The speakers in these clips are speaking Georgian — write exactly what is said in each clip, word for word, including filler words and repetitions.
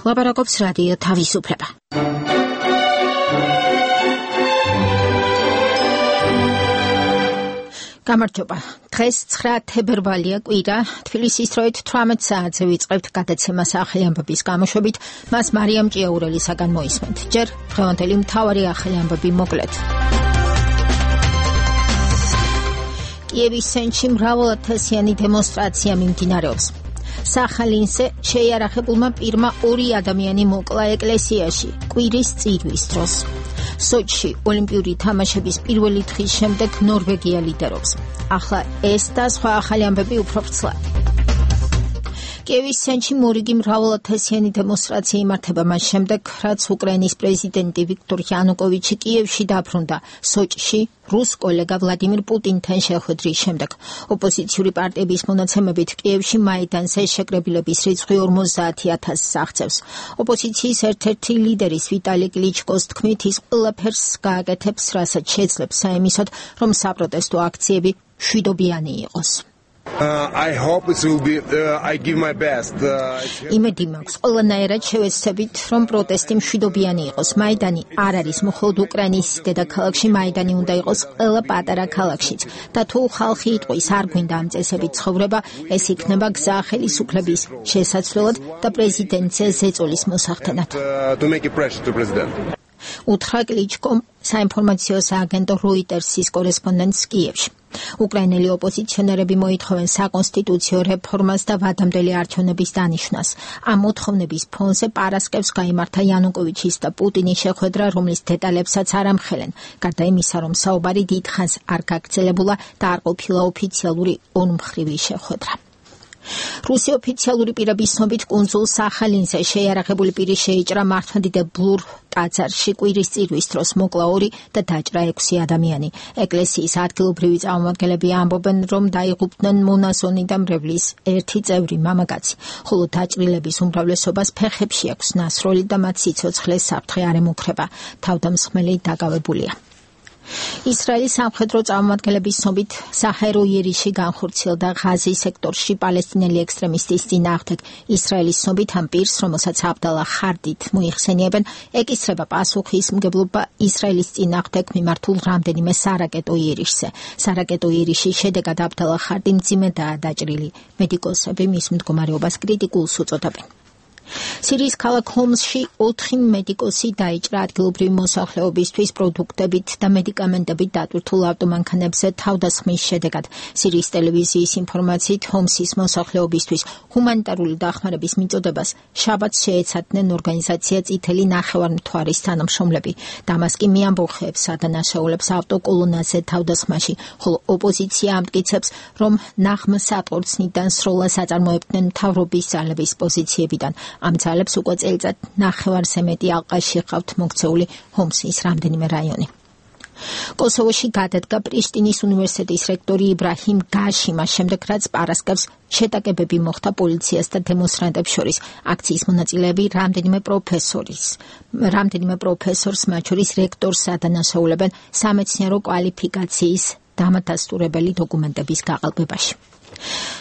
ლაპარაკობს რადიო თავისუფლება. გამარჯობა. დღეს ცხრა თებერვალია კვირა, თბილისის დროით თვრამეტ საათზე ვიწყებთ გადაცემას ახალი ამბების გამოშვებით, მას მარიამ ჭიაურელისაგან მოისმენთ. ჯერ დღევანდელი მთავარი ახალი ამბები მოკლედ. კიევის ცენტრში მრავალათასიანი დემონსტრაცია მიმდინარეობს. სახალინზე შეიარაღებულმა პირმა ორი ადამიანი მოკლა ეკლესიაში კვირის წირვის დროს. სოჩში ოლიმპიური თამაშების პირველი დღის შემდეგ ნორვეგია ლიდერობს. ახლა ეს და სხვა ახალი ამბები უფრო ვრცლად. კიევის ცენტრში მორიგი მრავალათასიანი დემონსტრაცია იმართება მას შემდეგ, რაც უკრაინის პრეზიდენტი ვიქტორ იანუკოვიჩი კიევში დაბრუნდა. სოჩში რუს კოლეგა ვლადიმირ პუტინთან შეხვედრის შემდეგ. ოპოზიციური პარტიების მონაცემებით კიევში მაიდანზე შეკრებილების რიცხვი ორმოცდაათი ათასს აღწევს. ოპოზიციის ერთ-ერთი ლიდერის ვიტალი კლიჩკოს თქმით, ის ყველაფერს გააკეთებს, რასაც შეძლებს საიმისოდ, რომ საპროტესტო აქციები მშვიდობიანი იყოს. Uh, I hope it will be, uh, I give my best. იმედი მაქვს, ყველანაირად შევეცდებით, რომ პროტესტი მშვიდობიანი იყოს. მაიდანი არ არის მხოლოდ უკრაინის დედაქალაქში, მაიდანი უნდა იყოს ყველა პატარა ქალაქშიც. და თუ ხალხი იტყვის, არ გვინდა ამ წესებით ცხოვრება, ეს იქნება გზა ხელისუფლების შესაცვლელად და პრეზიდენტზე ზეწოლის მოსახდენად. Uh, to make a pressure to president. უთხრა კლიჩკომ საინფორმაციო სააგენტო როიტერსის კორესპონდენტს კიევში. უკრაინელი ოპოზიციონერები მოითხოვენ საკონსტიტუციო რეფორმას და ვადამდელი არჩევნების დანიშვნას. ამ მოთხოვნების ფონზე პარასკევს გაიმართა იანუკოვიჩის და პუტინის შეხვედრა, რომლის დეტალებსაც არ ამხელენ. გარდა იმისა, რომ საუბარი დიდხანს არ გაგრძელებულა და არ ყოფილა ოფიციალური ორმხრივი შეხვედრა. რუსი ოფიციალური პირების ცნობით კუნძულ სახალინზე შეიარაღებული პირი შეიჭრა მართლმადიდებულ ტაძარში კვირის წირვის დროს მოკლა ორი და დაჭრა ექვსი ადამიანი. ეკლესიის ადგილობრივი წარმომადგენლები ამბობენ, რომ დაიღუპნენ მონაზონი და მრევლის ერთი წევრი მამაკაცი, ხოლო დაჭრილების უმრავლესობას ფეხებში აქვს ნასროლი და მათ სიცოცხლეს საფრთხე არ ემუქრება. თავდამსხმელი დაკავებულია. ისრაელის სამხედრო წარმომადგენლების ცნობით საჰაერო იერიში განხორციელდა ღაზის სექტორში პალესტინელი ექსტრემისტის წინააღმდეგ. ისრაელის ცნობით ამ პირს, რომელსაც აბდალა ხარდით მოიხსენიებენ, ეკისრება პასუხისმგებლობა ისრაელის წინააღმდეგ მიმართულ რამდენიმე სარაკეტო იერიშზე. სარაკეტო იერიშის შედეგად აბდალა ხარდი მძიმედაა დაჭრილი. მედიკოსები მის მდგომარეობას კრიტიკულს უწოდებენ. სირიის ქალაქ ჰომსში ოთხი მედიკოსი დაიჭრა ადგილობრივი მოსახლეობისთვის პროდუქტებით და მედიკამენტებით დატვირთულ ავტომანქანებზე თავდასხმის შედეგად. სირიის ტელევიზიის ინფორმაციით, ჰომსის მოსახლეობისთვის ჰუმანიტარული დახმარების მიწოდებას შაბათს შეეცადნენ ორგანიზაცია წითელი ნახევარმთვარის თანამშრომლები. დამასკი მიამბოხეებს ადანაშაულებს ავტოკოლონაზე თავდასხმაში, ხოლო ოპოზიცია ამტკიცებს, რომ ნაღმსატყორცნიდან სროლას აწარმოებდნენ მთავრობის ძალების პოზიციებიდან. ამ ძალებს უკვე წელიწად ნახევარზე მეტი ალყაში ჰყავთ მოქცეული ჰომსის რამდენიმე რაიონი. კოსოვოში გადადგა პრიშტინის უნივერსიტეტის რექტორი იბრაჰიმ გაშიმა შემდეგ, რაც პარასკევს შეტაკებები მოხდა პოლიციას და დემონსტრანტებს შორის. აქციის მონაწილეები რამდენიმე პროფესორის, რამდენიმე პროფესორს, მათ შორის რექტორს ადანაშაულებენ სამეცნიერო კვალიფიკაციის დამადასტურებელი დოკუმენტების გაყალბებაში.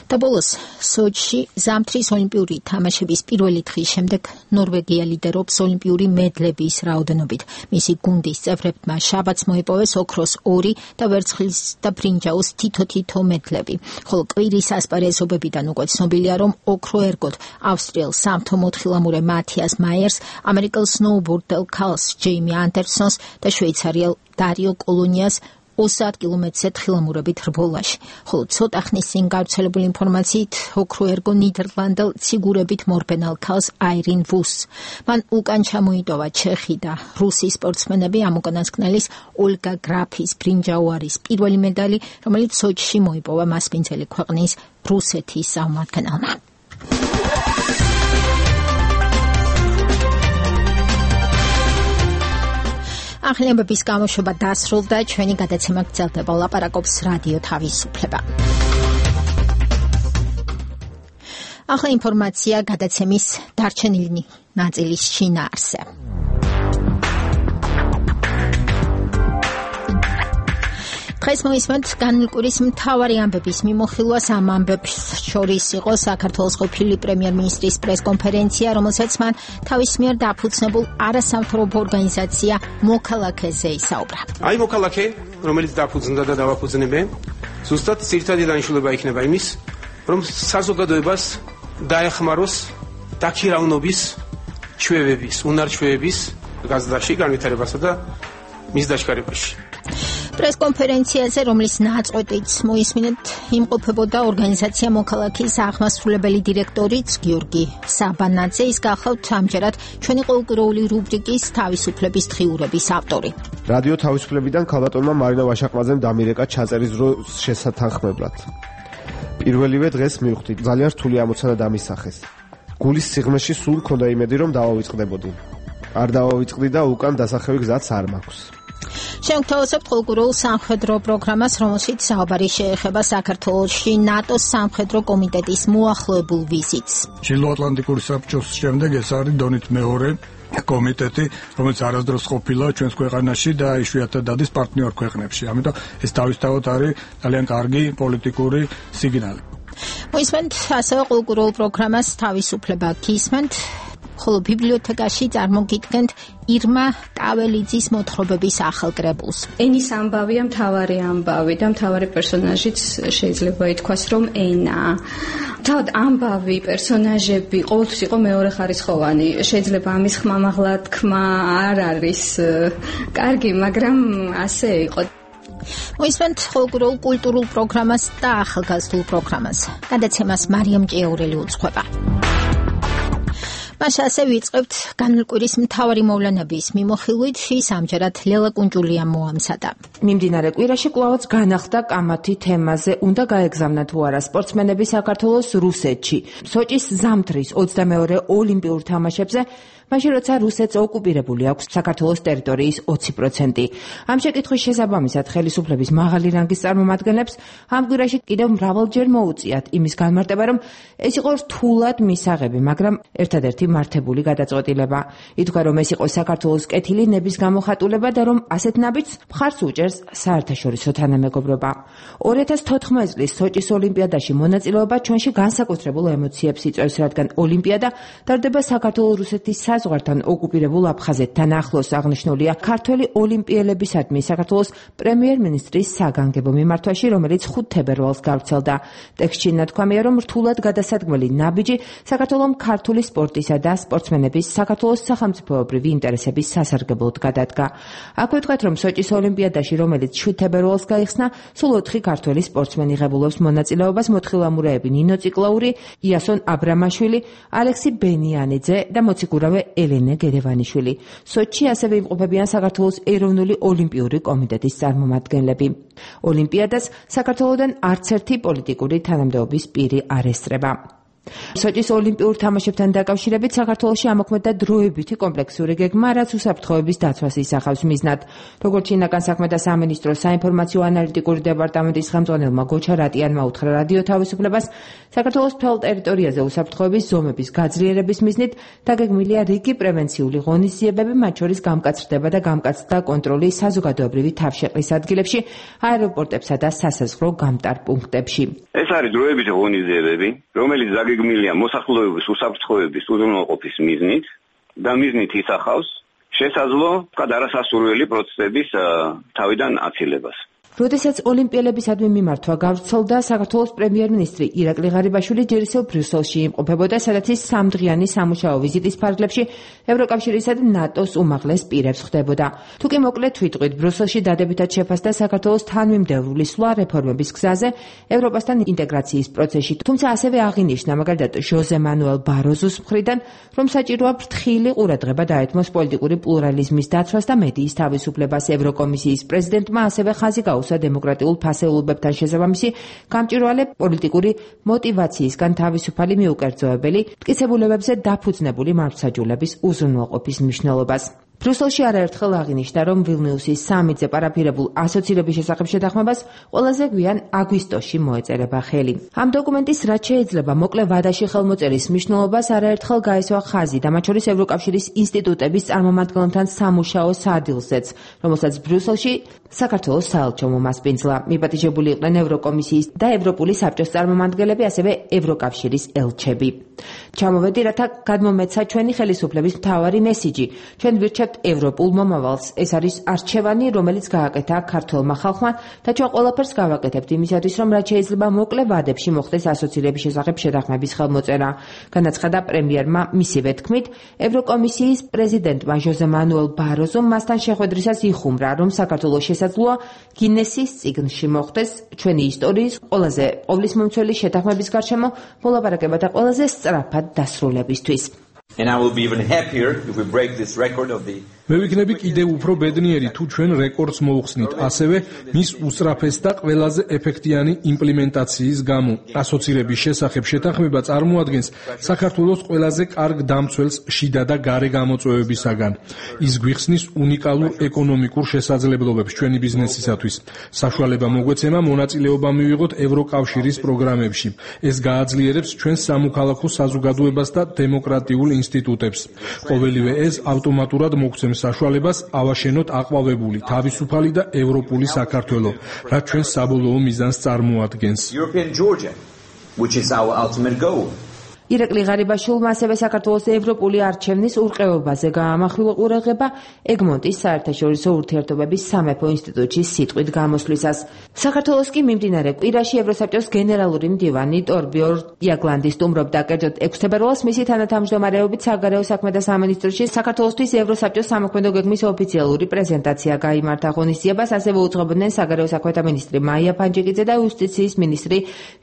და ბოლოს, სოჩში ზამთრის ოლიმპიური თამაშების პირველი დღის შემდეგ ნორვეგია ლიდერობს ოლიმპიური მედლების რაოდენობით. მისი გუნდის წევრებმა შაბათს მოიპოვეს ოქროს ორი და ვერცხლის და ბრინჯაოს თითო-თითო მედლები. ხოლო კვირის ასპარეზობებიდან უკვე ცნობილია, რომ ოქრო ერგოთ ავსტრიელ სამთო მოთხილამურე მათიას მაიერს, ამერიკელ სნოუბორდელ ქალს ჯეიმი ანდერსონს და შვეიცარიელ დარიო კოლონიას ოცდაათ კილომეტრზე თხილამურებით რბოლაში. ხოლო ცოტა ხნის წინ გავრცელებული ინფორმაციით, ოქრო ერგო ნიდერლანდელ ციგურებით მორბენალ ქალს აირინ ვუსს. მან უკან ჩამოიტოვა ჩეხი და რუსი სპორტსმენები. ამ უკანასკნელის ოლგა გრაფის ბრინჯაო არის პირველი მედალი, რომელიც სოჩში მოიპოვა მასპინძელი ქვეყნის რუსეთის წარმომადგენელმა. ახალი ამბების გამოშვება დასრულდა, ჩვენი გადაცემა გრძელდება. ლაპარაკობს რადიო თავისუფლება. ახლა ინფორმაცია გადაცემის დარჩენილი ნაწილის შინაარსზე. დღეს მოისმენთ განმკვირის მთავარი ამბების მიმოხილვას. ამ ამბებს შორის იყო საქართველოს ყოფილი პრემიერ-მინისტრის პრესკონფერენცია, რომელსაც მან თავის მიერ დაფუძნებულ არასამთავრობო ორგანიზაცია მოქალაქეზე ისაუბრა. აი მოქალაქე, რომელიც დაფუძნდა და დავაფუძნებე, ზუსტად ძირითადი დანიშნულება იქნება იმის, რომ საზოგადოებას დაეხმაროს დაქირავნობის ჩვევების, უნარჩვევების გაზრდაში, განვითარებასა და მის დაჩქარებაში. პრესკონფერენციაზე, რომლის ნაწყვეტიც მოისმინეთ, იმყოფებოდა ორგანიზაცია მოქალაქის აღმასრულებელი დირექტორიც გიორგი საბანაძე. ის გახლავთ ამჯერად ჩვენი ყოველკვირეული რუბრიკის თავისუფლების დღიურების ავტორი. რადიო თავისუფლებიდან ქალბატონმა მარინა ვაშაყმაძემ დამირეკა ჩაწერის დროს შესათანხმებლად. პირველივე დღეს მივხვდით, ძალიან რთული ამოცანა დამისახეს. გულის სიღრმეში სულ მქონდა იმედი, რომ დავავიწყდებოდი. არ დავავიწყდი და უკან დასახევი გზაც არ მაქვს. შევთავაზებთ ყოველკვირეულ სამხედრო პროგრამას, რომელშიც საუბარი შეეხება საქართველოში ნატოს სამხედრო კომიტეტის მოახლოებულ ვიზიტს. ჩრდილოატლანტიკური საბჭოს შემდეგ ეს არის დონით მეორე კომიტეტი, რომელიც არასდროს ყოფილა ჩვენს ქვეყანაში და იშვიათად დადის პარტნიორ ქვეყნებში. ამიტომ ეს თავისთავად არის ძალიან კარგი პოლიტიკური სიგნალი. მოისმენთ ასევე ყოველკვირეულ პროგრამას თავისუფლება გისმენთ. ხოლო ბიბლიოთეკაში წარმოგიდგენთ ირმა ტაველიძის მოთხრობების ახალ კრებულს. ენის ამბავია მთავარი ამბავი და მთავარი პერსონაჟიც შეიძლება ითქვას, რომ ენაა. თავად ამბავი პერსონაჟები ყოველთვის იყო მეორეხარისხოვანი. შეიძლება ამის ხმამაღლა თქმა არ არის კარგი, მაგრამ ასე იყო. მოისმენთ ყოველკვირეულ კულტურულ პროგრამას და ახალგაზრდულ პროგრამას. გადაცემას მარიამ ჭიაურელი უძღვება. მაშ ასე ვიწყებთ განმკვირის მთავარი მოვლენების მიმოხილვით. ის ამჯერად ლელა კუნჯულიამ მოამზადა. მიმდინარე კვირაში კვლავაც განახლდა კამათი თემაზე, უნდა გაეგზავნა თუ არა სპორტსმენები საქართველოს რუსეთში. სოჭის ზამთრის ოცდამეორე ოლიმპიურ თამაშებზე მაშინ როცა რუსეთს ოკუპირებული აქვს საქართველოს ტერიტორიის ოცი პროცენტი. ამ შეკითხვის შესაბამისად ხელისუფლების მაღალი რანგის წარმომადგენლებს ამ კვირაში კიდევ მრავალჯერ მოუწიათ იმის განმარტება, რომ ეს იყო რთულად მისაღები, მაგრამ ერთადერთი მართებული გადაწყვეტილება. ითქვა, რომ ეს იყო საქართველოს კეთილი ნების გამოხატულება და რომ ასეთ ნაბიჯს მხარს უჭერს საერთაშორისო თანამეგობრობა. ორი ათას თოთხმეტი წლის სოჭის ოლიმპიადაში მონაწილეობა ჩვენში განსაკუთრებულ ემოციებს იწვევს, რადგან ოლიმპიადა ტარდება საქართველოს-რუსეთის საზღვართან ოკუპირებულ აფხაზეთთან ახლოს. აღნიშნულია ქართველი ოლიმპიელებისადმი საქართველოს პრემიერ-მინისტრის საგანგებო მიმართვაში, რომელიც ხუთ თებერვალს გავრცელდა. ტექსტში ნათქვამია, რომ რთულად გადასადგმელი ნაბიჯი საქართველოს ქართული სპორტისა და სპორტსმენების საქართველოს სახელმწიფოებრივი ინტერესების სასარგებლოდ გადადგა. აქვე ვთქვათ, რომ სოჭის ოლიმპიადაში, რომელიც შვიდ თებერვალს გაიხსნა, სულ ოთხი ქართველი სპორტსმენი ღებულობს მონაწილეობას: მოთხილამურეები ნინო ციკლაური, იასონ აბრამაშვილი, ალექსი ბენიანიძე და მოციქურავე ელენე გერევანიშვილი. სოჭში ასევე იმყოფებიან საქართველოს ეროვნული ოლიმპიური კომიტეტის წარმომადგენლები. ოლიმპიადას საქართველოდან არც ერთი პოლიტიკური თანამდებობის პირი არ ესწრება. სოჭის ოლიმპიურ თამაშებთან დაკავშირებით საქართველოში ამოქმედდა დროებითი კომპლექსური გეგმა, რაც უსაფრთხოების დაცვას ისახავს მიზნად. როგორც შინაგან საქმეთა სამინისტროს საინფორმაციო ანალიტიკური დეპარტამენტის ხელმძღვანელმა გოჩა რატიანმა უთხრა რადიო თავისუფლებას, საქართველოს მთელ ტერიტორიაზე უსაფრთხოების ზომების გაძლიერების მიზნით დაგეგმილია რიგი პრევენციული ღონისძიებები, მათ შორის გამკაცრდება და გამკაცდა კონტროლი საზოგადოებრივი თავშეყრის ადგილებში, აეროპორტებსა და სასაზღვრო გამტარ პუნქტებში. ეს არის დროებითი ღონისძიებები, რომელიც გეგმილია მოსახლეობის უსაფრთხოების უზრუნველყოფის მიზნით და მიზნით ისახავს შესაძლო არასასურველი პროცესების თავიდან აცილებას. როდესაც ოლიმპიელებისადმი მიმართვა გავრცელდა, საქართველოს პრემიერ-მინისტრი ირაკლი ღარიბაშვილი ჯერ ისევ ბრიუსელში იმყოფებოდა, სადაც ის სამდღიანი სამუშაო ვიზიტის ფარგლებში ევროკავშირისა და ნატოს უმაღლეს პირებს ხვდებოდა. თუკი მოკლედ ვიტყვით, ბრიუსელში დადებითად შეფასდა საქართველოს თანმიმდევრული სვლა რეფორმების გზაზე ევროპასთან ინტეგრაციის პროცესში, თუმცა ასევე აღინიშნა მაგალითად ჟოზე მანუელ ბაროზოს მხრიდან, რომ საჭიროა ფრთხილი ყურადღება დაეთმოს პოლიტიკური პლურალიზმის დაცვას და მედიის თავისუფლებას. ევროკომისიის პრეზიდენტმა ასევე ხაზი გაუსვა დემოკრატიულ ფასეულობებთან შესაბამისი გამჭვირვალე პოლიტიკური მოტივაციისგან თავისუფალი მიუკერძოებელი მტკიცებულებებზე დაფუძნებული მართლმსაჯულების უზრუნველყოფის მნიშვნელობას. ბრიუსელში არაერთხელ აღინიშნა, რომ ვილნიუსის სამიტზე პარაფირებულ ასოცირების შესახებ შეთანხმებას ყველაზე გვიან აგვისტოში მოეწერება ხელი. ამ დოკუმენტის რაც შეიძლება მოკლე ვადაში ხელმოწერის მნიშვნელობას არაერთხელ გაესვა ხაზი და მათ შორის ევროკავშირის ინსტიტუტების წარმომადგენელთან სამუშაო სადილზეც, რომელსაც ბრიუსელში საქართველოს საელჩო მომასპინძლა. მიპატიჟებული იყვნენ ევროკომისიის და ევროპული საბჭოს წარმომადგენლები, ასევე ევროკავშირის ელჩები. ჩამოვედი, რათა გადმომეცა ჩვენი ხელისუფლების მთავარი მესიჯი. ჩვენ ვირჩევთ ევროპულ მომავალს. ეს არის არჩევანი, რომელიც გააკეთა ქართველმა ხალხმა და ჩვენ ყველაფერს გავაკეთებთ იმისათვის, რომ რაც შეიძლება მოკლე ვადებში მოხდეს ასოცირების შესახებ შეთანხმების ხელმოწერა. განაცხადა პრემიერმა მისივე თქმით, ევროკომისიის პრეზიდენტმა ჟოზე მანუელ ბაროზომ მასთან შეხვედრისას იხუმრა, რომ საქართველოს შესაძლოა გინესის წიგნში მოხდეს ჩვენი ისტორიის ყველაზე ყოვლისმომცველი შეთანხმების გარშემო მოლაპარაკება და ყველაზე სწრაფად დასრულებისთვის. And I will be even happier if we break this record of the მე ვიქნები კიდევ უფრო ბედნიერი თუ ჩვენ რეკორდს მოუხსნით, ასევე მის უსწრაფეს და ყველაზე ეფექტიანი იმპლემენტაციის გამო. ასოცირების შესახებ შეთანხმება წარმოადგენს საქართველოს ყველაზე კარგ დამცველს შიდა და გარე გამოწვევებისაგან. ის გვიხსნის უნიკალურ ეკონომიკურ შესაძლებლობებს ჩვენი ბიზნესისათვის. საშუალება მოგვეცემა მონაწილეობა მივიღოთ ევროკავშირის პროგრამებში. ეს გააძლიერებს ჩვენს სამოქალაქო საზოგადოებას და დემოკრატიულ ინსტიტუტებს. ყოველივე ეს ავტომატურად მოგცემს საშუალებას ავაშენოთ აყვავებული, თავისუფალი და ევროპული საქართველო, რაც ჩვენს საბოლოო მიზანს წარმოადგენს. European Georgia, which is our ultimate goal. ირაკლი ღარიბაშვილმა ასევე საქართველოს ევროპული არჩევნის ურყევობაზე გაამახვილა ყურადღება ეგმონტის საერთაშორისო ურთიერთობების სამეფო ინსტიტუტში სიტყვით გამოსვლისას. საქართველოს კი მიმდინარე კვირაში ევროსაბჭოს გენერალური მდივანი ტორბიორ იაგლანდი სტუმრობდა, კერძოდ ექვსი თებერვალს მისი თანათავმჯდომარეობით საგარეო საქმეთა სამინისტროში საქართველოსთვის ევროსაბჭოს სამოქმედო გეგმის ოფიციალური პრეზენტაცია გაიმართა. ღონისძიებას ასევე უძღვებოდნენ საგარეო საქმეთა მინისტრი მაია ფანჯიკიძე და იუსტიციის მინისტრი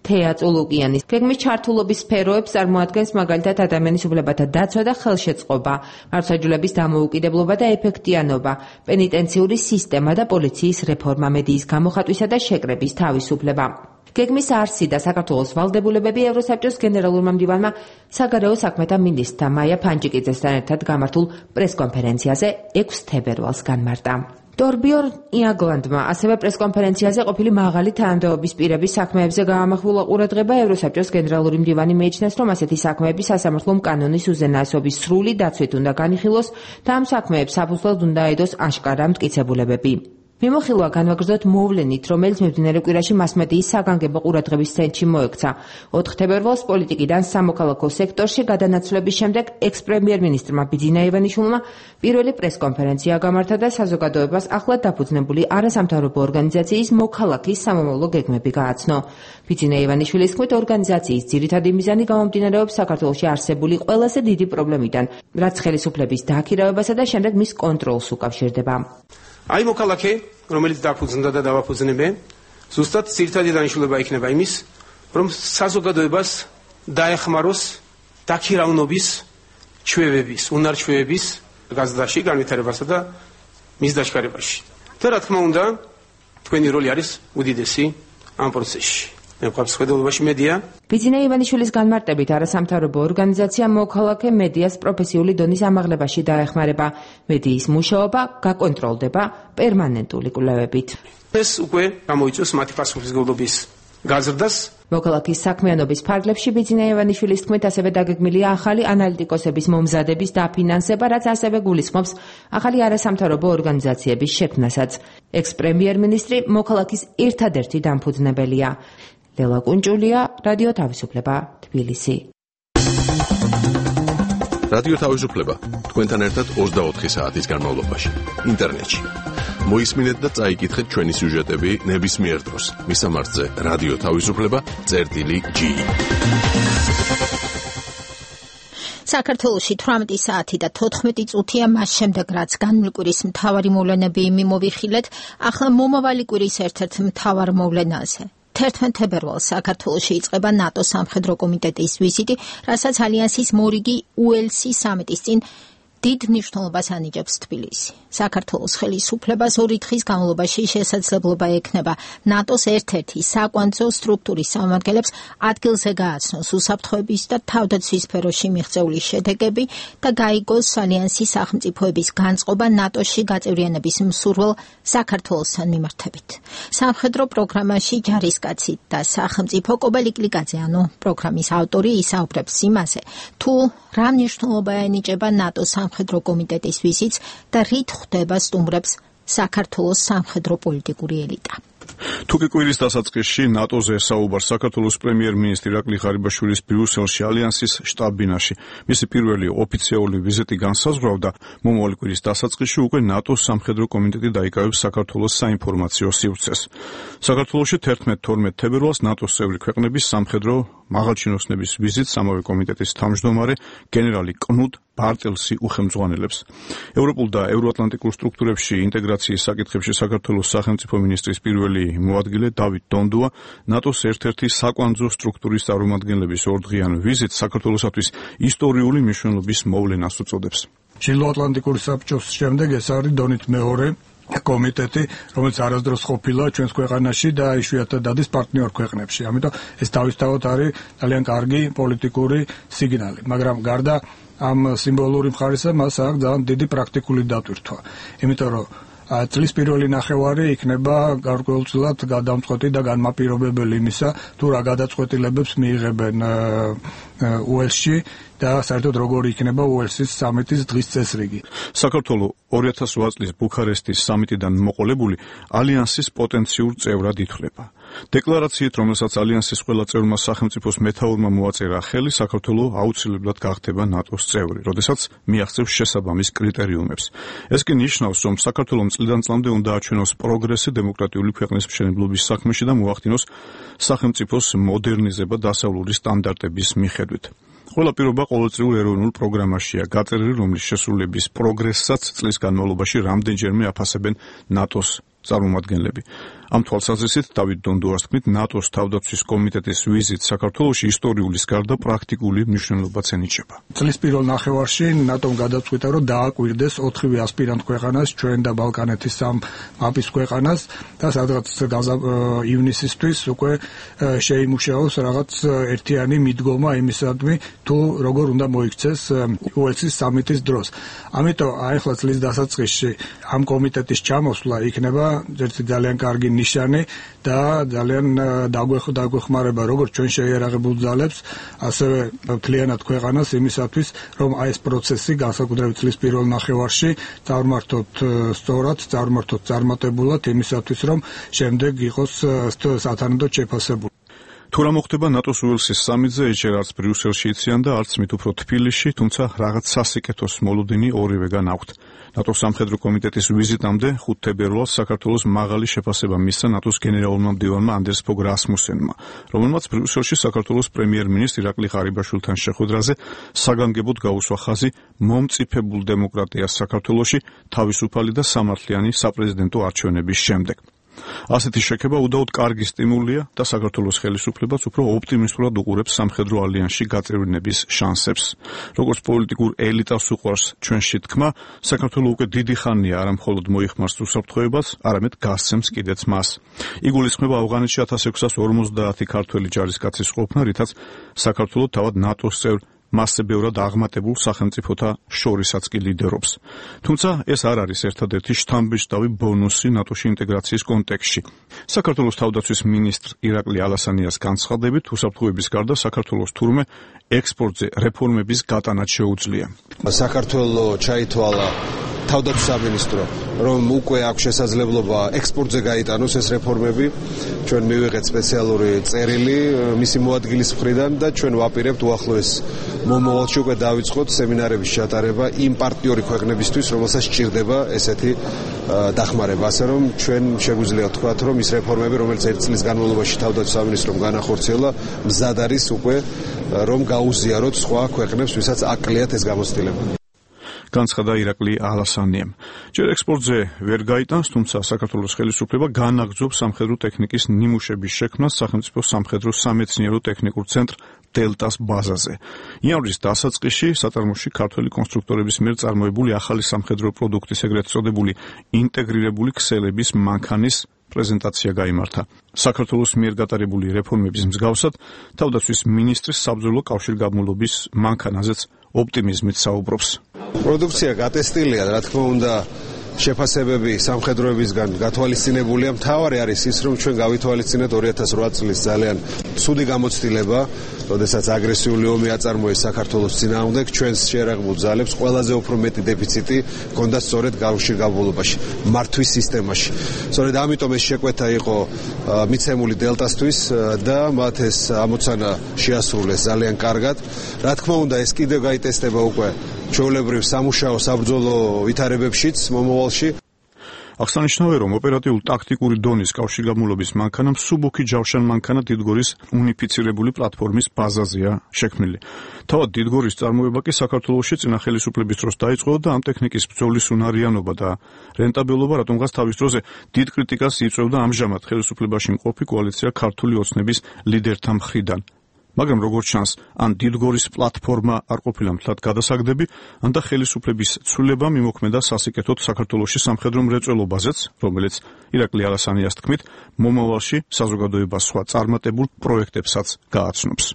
თეა წულუკიანი. გეგმის ჩართულობის სფეროებს წარმოადგენს მაგალითად ადამიანის უფლებათა დაცვა და ხელშეწყობა, მართლმსაჯულების დამოუკიდებლობა და ეფექტიანობა, პენიტენციური სისტემა და პოლიციის რეფორმა, მედიის გამოხატვისა და შეკრების თავისუფლება. გეგმის არსი და საქართველოს ვალდებულებები ევროსაბჭოს გენერალურმა მდივანმა საგარეო საქმეთა მინისტრთა მაია ფანჯიკიძესთან ერთად გამართულ პრესკონფერენციაზე ექვსი თებერვალს განმარტა. ტორბიორ იაგლანდმა ასევე პრესკონფერენციაზე ყოფილი მაღალი თანამდებობის პირების საქმეებზე გაამახვილა ყურადღება. ევროსაბჭოს გენერალური მდივანი მიიჩნევს, რომ ასეთი საქმეები სასამართლო კანონის უზენაესობის სრული დაცვით უნდა განიხილოს და ამ საქმეებს საფუძვლად უნდა აედოს აშკარა მტკიცებულებები. მიმოხილვა განვაგრძოთ მოვლენით, რომელიც მიმდინარე კვირაში მასმედიის საგანგებო ყურადღების ცენტრში მოექცა. ოთხი თებერვალს პოლიტიკიდან სამოქალაქო სექტორში გადანაცვლების შემდეგ ექს-პრემიერ-მინისტრმა ბიძინა ივანიშვილმა პირველი პრესკონფერენცია გამართა და საზოგადოებას ახლად დაფუძნებული არასამთავრობო ორგანიზაციის მოქალაქის სამომავლო გეგმები გააცნო. ბიძინა ივანიშვილის თქმით, ორგანიზაციის ძირითადი მიზანი გამომდინარეობს საქართველოში არსებული ყველაზე დიდი პრობლემიდან, რაც ხელისუფლების დააქირავებასა და შემდეგ მის კონტროლს უკავშირდება. აი მოქალაქე, რომელიც დაფუძნდა და დავაფუძნებენ, ზუსტად ძირითადი დანიშნულება იქნება იმის, რომ საზოგადოებას დაეხმაროს დაქირავნობის ჩვევების, უნარჩვევების გაზრდაში, განვითარებასა და მის დაშკარებაში. და რა თქმა უნდა, თქვენი როლი არის უდიდესი ამ პროცესში. მე ვყავს ხედულობაში მედია. ბიძინა ივანიშვილის განმარტებით არასამთავრობო ორგანიზაცია მოქალაქე მედიას პროფესიული დონის ამაღლებაში დაეხმარება. მედიის მუშაობა გაკონტროლდება პერმანენტული კვლევებით. ეს უკვე გამოიწვევს მათი პასუხისმგებლობის გაზრდას. მოქალაქის საქმიანობის ფარგლებში ბიძინა ივანიშვილის თქმით ასევე დაგეგმილია ახალი ანალიტიკოსების მომზადების დაფინანსება, რაც ასევე გულისხმობს ახალი არასამთავრობო ორგანიზაციების შექმნასაც. ექს-პრემიერ-მინისტრი მოქალაქის ერთადერთი დამფუძნებელია. ლელა კუნჭულია, რადიო თავისუფლება, თბილისი. რადიო თავისუფლება თქვენთან ერთად ოცდაოთხი საათის განმავლობაში ინტერნეტში. მოისმინეთ და წაიკითხეთ ჩვენი სიუჟეტები ნებისმიერ დროს. მისამართზე რადიო თავისუფლება წერტილი ჯი. საქართველოში თვრამეტი საათი და თოთხმეტი წუთია მას შემდეგ, რაც განვლი კვირის მთავარი მოვლენები მოვიხილეთ, ახლა მომავალი კვირის ერთ-ერთ მთავარ მოვლენაზე. თერთმეტ თებერვალს საქართველოში იწყება ნატო სამხედრო კომიტეტის ვიზიტი, რასაც ალიანსის მორიგი უელსი სამიტის წინ დიდ მნიშვნელობას ანიჭებს თბილისი. საქართველოს ხელისუფლებას ორი დღის განმავლობაში შესაძლებლობა ექნება ნატოს ერთ-ერთი საკვანძო სტრუქტურის წარმომადგენლებს ადგილზე გააცნოს უსაფრთხოების და თავდაცვის სფეროში მიღწეული შედეგები და გაიგოს ალიანსის სახელმწიფოების განწყობა ნატოში გაწევრიანების მსურველ საქართველოსთან მიმართებით. სამხედრო პროგრამაში ჯარისკაცი და სახელმწიფო კობელი კლიკაძე, ანუ პროგრამის ავტორი, ისაუბრებს იმაზე, თუ რა მნიშვნელობა ენიჭება ნატოს სამხედრო კომიტეტის ვიზიტს და რით ხვდება სტუმრებს საქართველოს სამხედრო პოლიტიკური ელიტა. თუკი კვირის დასაწყისში ნატოზე საუბარს საქართველოს პრემიერ-მინისტრი ირაკლი ღარიბაშვილის ბრიუსელში ალიანსის შტაბ-ბინაში მისი პირველი ოფიციალური ვიზიტი განსაზღვრავდა, მომავალი კვირის დასაწყისში უკვე ნატოს სამხედრო კომიტეტი დაიკავებს საქართველოს საინფორმაციო სივრცეს. საქართველოში თერთმეტ-თორმეტ თებერვალს ნატოს წევრი ქვეყნების სამხედრო მაღალჩინოსნების ვიზიტს ამავე კომიტეტის თავმჯდომარე გენერალი კნუდ ბარტელსი უხელმძღვანელებს. ევროპულ და ევროატლანტიკურ სტრუქტურებში ინტეგრაციის საკითხებში საქართველოს სახელმწიფო მინისტრის პირველი მოადგილე დავით დონდუა ნატოს ერთ-ერთი საკვანძო სტრუქტურის წარმომადგენლების ორდღიან ვიზიტს საქართველოსთვის ისტორიული მნიშვნელობის მოვლენას უწოდებს. ჩრდილოატლანტიკური საბჭოს შემდეგ ეს არის დონით მეორე კომიტეტი, რომელიც არასდროს ყოფილა ჩვენს ქვეყანაში და იშვიათად დადის პარტნიორ ქვეყნებში. ამიტომ ეს თავისთავად არის ძალიან კარგი პოლიტიკური სიგნალი, მაგრამ გარდა ამ სიმბოლური მხარისა მას აქვს ძალიან დიდი პრაქტიკული დატვირთვა. იმიტომ რომ წლის პირველი ნახევარი იქნება გარკვეულწილად გადამწყვეტი და განმაპირობებელი იმისა, თუ რა გადაწყვეტილებებს მიიღებენ უელსში და საერთოდ როგორი იქნება უელსის სამიტის დღის წესრიგი. საქართველოს ორი ათას ოთხ წლის ბუქარესტის სამიტიდან მოყოლებული ალიანსის პოტენციურ წევრად ითვლება. დეკლარაციით, რომელსაც ალიანსის ყველა წევრმა სახელმწიფოს მეთაურმა მოაწერა ხელი, საქართველოს აუცილებლად გახდება ნატოს წევრი, როდესაც მიაღწევს შესაბამის კრიტერიუმებს. ეს კი ნიშნავს, რომ საქართველოს წლიდან წლამდე უნდა აჩვენოს პროგრესი დემოკრატიული ქვეყნის მშენებლობის საქმეში და მოახდინოს სახელმწიფოს მოდერნიზება დასავლური სტანდარტების მიხედვით. ყველა პირობა ყოველწლიურ ეროვნულ პროგრამაშია გაწერილი, რომლის შესრულების პროგრესსაც წლის განმავლობაში რამდენჯერმე აფასებენ ნატოს წარმომადგენლები. ამ თვალსაზრისით დავით დონდუას თქმით, ნატოს თავდაცვის კომიტეტის ვიზიტ საქართველოში ისტორიულის გარდა პრაქტიკული მნიშვნელობაც ენიჭება. წლის პირველ ნახევარში ნატომ გადაწყვიტა, რომ დააკვირდეს ოთხივე ასპირანტ ქვეყანას, ჩვენ და ბალკანეთის სამ მაპის ქვეყანას და სადღაც ივნისისთვის უკვე შეიმუშაოს რაღაც ერთიანი მიდგომა იმისადმი, თუ როგორ უნდა მოიქცეს უელსის სამიტის დროს. ამიტომ ახლა წლის დასაწყისში ამ კომიტეტის ჩამოსვლა იქნება ერთი ძალიან კარგი ნიშანი და ძალიან დაგვეხმარება როგორც ჩვენ შეიარაღებულ ძალებს, ასევე მთლიანად ქვეყანას იმისათვის, რომ აი ეს პროცესი განსაკუთრებით წლის პირველ ნახევარში წარმართოთ სწორად, წარმართოთ წარმატებულად იმისათვის, რომ შემდეგ იყოს სათანადოდ შეფასებული. თუ რა მოხდება ნატოს უელსის სამიტზე, ჯერ არც ბრიუსელში იციან და არც მით უფრო თბილისში, თუმცა რაღაც სასიკეთოს მოლოდინი ორივეგან აქვთ. ნატოს სამხედრო კომიტეტის ვიზიტამდე ხუთ თებერვალს საქართველოს მაღალი შეფასება მისცა ნატოს გენერალურმა მდივანმა ანდერს ფოგ რასმუსენმა, რომელმაც ბრიუსელში საქართველოს პრემიერ-მინისტრი ირაკლი ღარიბაშვილთან შეხვედრაზე საგანგებოდ გაუსვა ხაზი მომწიფებულ დემოკრატიას საქართველოში თავისუფალი და სამართლიანი საპრეზიდენტო არჩევნების შემდეგ. ასეთი შექება უდაოდ კარგი სტიმულია და საქართველოს ხელისუფლებას უფრო ოპტიმისტურად უყურებს სამხედრო ალიანსში გაწევრიანების შანსებს. როგორც პოლიტიკურ ელიტას უყვარს ჩვენში თქმა, საქართველოს უკვე დიდი ხანია არა მხოლოდ მოიხმარს უსაფრთხოებას, არამედ გასცემს კიდეც მას. იგულისხმება ავღანეთში ათას ექვსას ორმოცდაათი ქართველი ჯარისკაცის ყოფნა, რითაც საქართველოს თავად ნატოს წევრ მასზე ბევრად აღმატებულ სახელმწიფოთა შორისაც კი ლიდერობს. თუმცა ეს არ არის ერთადერთი შთამბეჭდავი ბონუსი ნატოში ინტეგრაციის კონტექსტში. საქართველოს თავდაცვის მინისტრ ირაკლი ალასანიას განცხადებით, უსაფრთხოების გარდა საქართველოს თურმე ექსპორტზე რეფორმების გატანაც შეუძლია. საქართველოს ჩაითვალა თავდაცვის სამინისტრო, რომ უკვე აქვს შესაძლებლობა ექსპორტზე გაიტანოს ეს რეფორმები. ჩვენ მივიღეთ სპეციალური წერილი მისი მოადგილის მხრიდან და ჩვენ ვაპირებთ უახლოეს მომავალში უკვე დავიწყოთ სემინარების ჩატარება იმ პარტნიორი ქვეყნებისთვის, რომელსაც სჭირდება ესეთი დახმარება. ასე რომ ჩვენ შეგვიძლია ვთქვათ, რომ ის რეფორმები, რომელიც ერთ წლის განმავლობაში თავდაცვის სამინისტრომ განახორციელა, მზად არის უკვე რომ გაუზიაროთ სხვა ქვეყნებს, ვისაც აკლიათ ეს გამოცდილება. განცხადა ირაკლი ალასანიამ. ჯერ ექსპორტზე ვერ გაიტანს, თუმცა საქართველოს ხელისუფლება განაგრძობს სამხედრო ტექნიკის ნიმუშების შექმნას სახელმწიფო სამხედრო სამეცნიერო ტექნიკურ ცენტრ დელტას ბაზაზე. იანვრის დასაწყისში საწარმოში ქართველი კონსტრუქტორების მიერ წარმოებული ახალი სამხედრო პროდუქტის ეგრეთ წოდებული ინტეგრირებული ქსელების მანქანის პრეზენტაცია გაიმართა. საქართველოს მიერ გატარებული რეფორმების მსგავსად, თავდაცვის მინისტრის საბრძოლო კავშირგაბმულობის მანქანაზეც ოპტიმიზმით საუბრობს. პროდუქცია გატესტილია, რა თქმა უნდა, შეფასებები სამხედროებისგან გათვალისწინებულია. მთავარი არის ის, რომ ჩვენ გავითვალისწინეთ ორი ათას ოთხ წლის ძალიან ცუდი გამოცდილება, როდესაც აგრესიული ომი აწარმოეს საქართველოს წინააღმდეგ, ჩვენს შერაღებულ ძალებს ყველაზე უფრო მეტი დეფიციტი ჰქონდა სწორედ კავშირ გაბოლობაში, მართვის სისტემაში. სწორედ ამიტომ ეს შეკვეთა იყო მიცემული დელტასთვის და მათ ეს ამოცანა შეასრულეს ძალიან კარგად. რა თქმა უნდა, ეს კიდევ გაიტესტება უკვე ჩვეულებრივ სამუშაო საბრძოლო ვითარებებშიც მომავალში. აღსანიშნავია, რომ ოპერატიულ-ტაქტიკური დონის კავშირგაბმულობის მანქანა მსუბუქი ჯავშან-მანქანა დიდგორის უნიფიცირებული პლატფორმის ბაზაზეა შექმნილი. თავად დიდგორის წარმოება კი საქართველოში წინა ხელისუფლების დროს დაიწყო და ამ ტექნიკის ბრძოლის უნარიანობა და რენტაბელობა რატომღაც თავის დროზე დიდ კრიტიკას იწვევდა ამჟამად ხელისუფლებაში მყოფი კოალიცია ქართული ოცნების ლიდერთა მხრიდან. მაგრამ როგორც ჩანს, ან დიდგორის პლატფორმა არ ყოფილა მთლად გადასაგდები, ან და ხელისუფლების ცვლილება მიმოქმედა სასიკეთოდ საქართველოში სამხედრო მრეწველობაზეც, რომელიც ირაკლი ალასანიას თქმით, მომავალში საზოგადოებას სხვა წარმატებულ პროექტებსაც გააცნობს.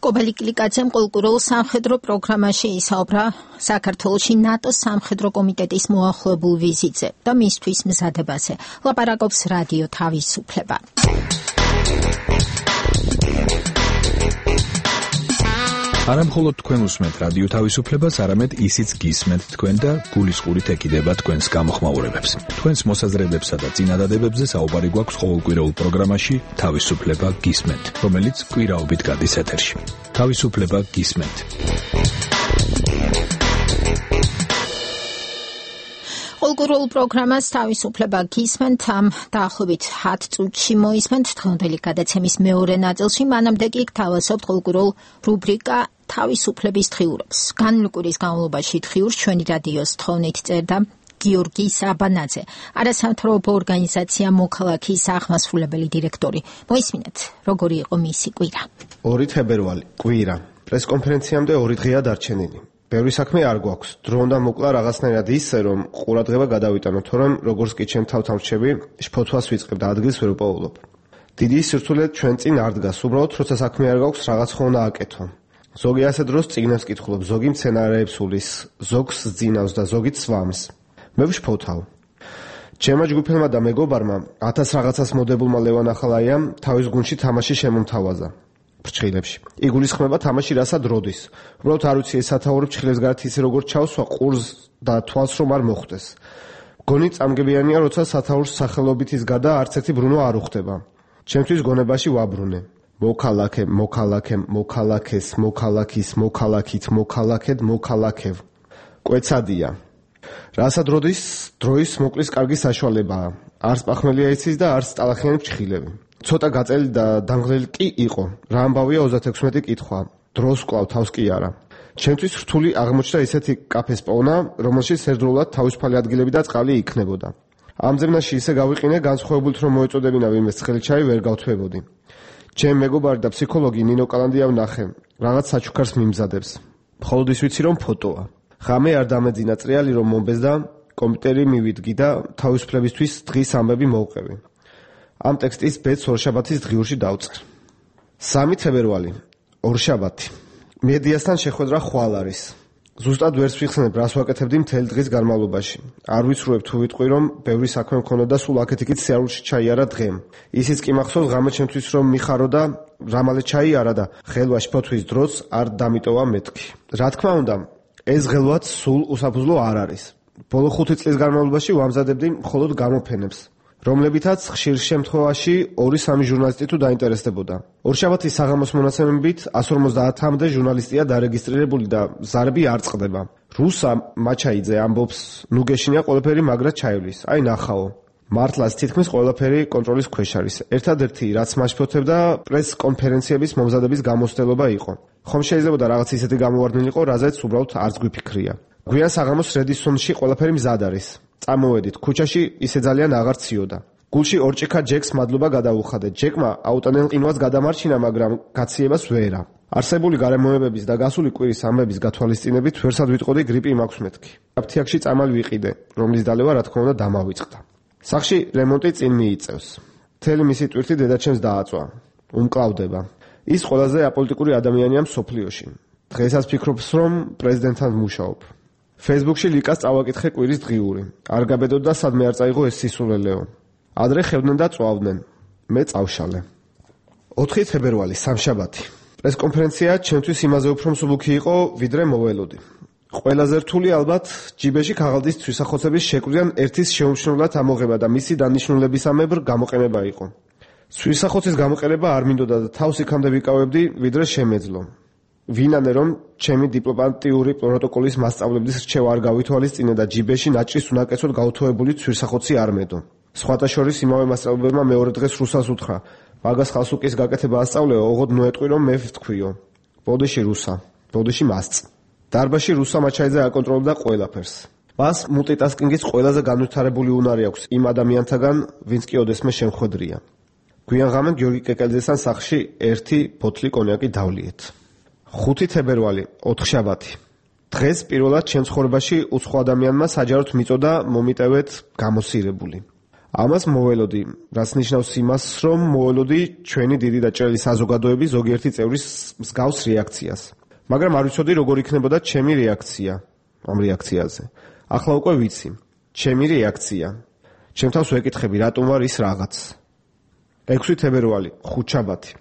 კობელი კლიკაძემ ყოლკურულ სამხედრო პროგრამაში ისაუბრა საქართველოში ნატოს სამხედრო კომიტეტის მოახლოებულ ვიზიტზე და მისთვის მზადებაზე. ლაპარაკობს რადიო თავისუფლება. არა მხოლოდ თქვენ უსმენთ რადიო თავისუფლებას, არამედ ისიც გისმენთ თქვენ და გულისყურით ეკიდება თქვენს გამოხმაურებებს. თქვენს მოსაზრებებსა და წინადადებებზე საუბარი გვაქვს ყოველკვირეულ პროგრამაში თავისუფლება გისმენთ, რომელიც კვირაობით გადის ეთერში. თავისუფლება გისმენთ. ყოველკვირეულ პროგრამას თავისუფლება გისმენთ, ამ დაახლოებით ათ წუთში მოისმენთ დღევანდელი გადაცემის მეორე ნაწილში, მანამდე კი გთავაზობთ ყოველკვირეულ რუბრიკა თავისუფლების დღიურობს. განმკვირის განმავლობაში დღიურს ჩვენი რადიოს თხოვნით წერდა გიორგი საბანაძე, არასამთავრობო ორგანიზაცია მოქალაქის აღმასრულებელი დირექტორი. მოისმინეთ, როგორი იყო მისი კვირა. ორი თებერვალი, კვირა. პრესკონფერენციამდე ორი დღეა დარჩენილი. ბევრი საქმე არ გვაქვს. დრო უნდა მოკლა რაღაცნაირად ისე, რომ ყურადღება გადავიტანო, თორემ როგორც კი ჩემ თავთან ვჩები, შფოთვას ვიწყებ და ადგილს ვერ ვპოულობ. დიდი სირთულე ჩვენ წინ არ დგას, უბრალოდ როცა საქმე არ გაქვს, რაღაც ხო უნდა აკეთო. ზოგი ასე დროს წიგნებს კითხულობ, ზოგი მცენარეებს ულის, ზოგს ძინავს და ზოგი ცვამს. მე ვშფოთავ. ჩემმა ჯგუფელმა და მეგობარმა ათას რაღაცას მოდებულმა ლევან ახალაიამ თავის გუნდში თამაში შემომთავაზა. ფრჩხილებში. იგულისხმება თამაში რასად როდის. უბრალოდ არ ვიცი ეს სათაური ფრჩხილებს გარეთ ისე როგორ ჩავსვა ყურს და თვალს რომ არ მოხვდეს. გონი წამგებიანია, როცა სათაურს სახელობითის გარდა არც ერთი ბრუნვა არ უხდება. ჩემთვის გონებაში ვაბრუნე. მოქალაქე, მოქალაქე, მოქალაქეს, მოქალაქის, მოქალაქით, მოქალაქედ, მოქალაქევ. კვეცადია. რასად როდის დროის მოკლის კარგი საშუალებაა. არც პახმელია იცის და არც ტალახიანი ფრჩხილები. ცოტა გაწელი და დამღლელი კი იყო. რა ამბავია ოცდაექვსმეტი კითხვა. დროს კვლავ თავს კი არა. ჩემთვის რთული აღმოჩნდა ისეთი კაფეს პოვნა, რომელშიც ერთდროულად თავისუფალი ადგილები და წყალი იქნებოდა. ამ ზემნაში ისე გავიყინე, განსხვავებულით რომ მოეწოდებინა ვინმეს ცხელი ჩაი ვერ გავთვებოდი. ჩემ მეგობარი და ფსიქოლოგი ნინო კალანდია ვნახე. რაღაც საჩუქარს მიმზადებს. მხოლოდ ის ვიცი რომ ფოტოა. ღამე არ დამეძინა წრიალი რომ მომბეს და კომპიუტერი მივიდგი და თავისუფლებისთვის დღის ამბები მოვყევი. ამ ტექსტის ბედს ორშაბათის დღიურში დავწყე. სამი თებერვალი, ორშაბათი. მედიასთან შეხვედრა ხვალ არის. ზუსტად ვერც ვიხსენებ, რას ვაკეთებდი მთელი დღის განმავლობაში. არ ვიცრუებ თუ ვიტყვი, რომ ბევრი საქმე მქონოდა და სულ აქეთ-იქით სიარულში ჩაიარა დღემ. ისიც კი მახსოვს ღამე ჩემთვის რომ მიხარო და რამალე ჩაიარა და ხელვა შფოთვის დროს არ დამიტოვა მეთქი. რა თქმა უნდა, ეს ღელვაც სულ უსაფუძვლო არ არის. ბოლო ხუთი წლის განმავლობაში ვამზადებდი მხოლოდ გამოფენებს, რომლებითაც ხშირ შემთხვევაში ორი სამი ჟურნალისტი თუ დაინტერესდებოდა. ორშაბათის საღამოს მონაცემებით εκατს ორმოცდაათამდე ჟურნალისტია დარეგისტრირებული და ზარები არ წყდება. რუსა მაჩაიძე ამბობს, ნუ გეშინია ყველაფერი მაგრად ჩაივლის. აი ნახაო. მართლაც თითქმის ყველაფერი კონტროლის ქვეშ არის. ერთადერთი რაც მაშფოთებდა პრეს-კონფერენციების მომზადების გამოცდილება იყო. ხომ შეიძლება რაღაც ისეთი გამოვარდნილი იყო, რაზეც უბრალოდ არც გვიფიქრია. გვიან საღამოს რედისონში ყველაფერი მზად არის. წამოვედით ქუჩაში, ისე ძალიან აღარ ციოდა. გულში ორჭიქა ჯეკს მადლობა გადაუხადე. ჯეკმა აუტანელ ყინვას გადამარჩინა, მაგრამ გაციებას ვერა. არსებული გარემოებების და გასული კვირის ამბების გათვალისწინებით ვერსად ვიტყოდი გრიპი მაქვს მეთქი. აფთიაქში წამალი ვიყიდე, რომლის დალევა რა თქმა უნდა დამავიწყდა. სახში რემონტი წინ მიიწევს. მთელი მისი ტვირთი დედაჩემს დააწვა. უმკლავდება. ის ყველაზე აპოლიტიკური ადამიანია მსოფლიოში. დღესაც ფიქრობს, რომ პრეზიდენტად მუშაობ. Facebook-ში ლიკას წავაკითხე კვირის დღიური. არ გაბედოდა სადმე არ წაიღო ეს სისულელეო. ადრე ხევდნენ და წვავდნენ. მე წავშალე. ოთხი თებერვალი, სამშაბათი. პრესკონფერენცია ჩემთვის იმაზე უფრო მსუბუქი იყო, ვიდრე მოველოდი. ყველაზე რთული ალბათ ჯიბეში ქაღალდის ცვისახოცების შეკვდიან ერთის შეუმჩნევლად ამოღება და მისი დანიშნულებისამებრ გამოყენება იყო. ცვისახოცის გამოყენება არ მინდოდა და თავს იქამდე ვიკავებდი, ვიდრე შემეძლო. ვინანე რომ ჩემი დიპლომატიური პროტოკოლის მასწავლებლის რჩევა არ გავითვალისწინე და ჯიბეში ნაჭრის უნაკეცოდ გაუთხოვებული ცვისახოცი არ მედო. სხვათა შორის იმავე მასწავლებელმა მეორე დღეს რუსას უთხრა: მაგას ხალს უკის გაკეთება ასწავლეო, ოღონდ ნოეტყვი რომ მე ვთქვიო. ბოდიში რუსა, ბოდიში მასწ. დარბაში რუსა მაჩაიძე აკონტროლებდა ყველაფერს. მას მულტიტასკინგის ყველაზე განვითარებული უნარი აქვს იმ ადამიანთაგან, ვინც კი ოდესმე შემხვედრია. გვიან ღამე გიორგი კეკელიძესთან სახლში ერთი ბოთლი კონიაკი დავლიეთ. ხუთი თებერვალი, ოთხშაბათი. დღეს პირველად ჩემ ცხოვრებაში უცხო ადამიანმა საჯაროდ მიწოდა მომიტევეთ გამოსირებული. ამას მოველოდი, რაც ნიშნავს იმას, რომ მოველოდი ჩვენი დიდი და ჭრელი საზოგადოების ზოგიერთი წევრის მსგავს რეაქციას. მაგრამ არ ვიცოდი როგორ იქნებოდა ჩემი რეაქცია ამ რეაქციაზე. ახლა უკვე ვიცი. ჩემი რეაქცია. ჩემ თავს ვეკითხები, რატომ ვარ ის რაღაც. ექვსი თებერვალი, ხუთშაბათი.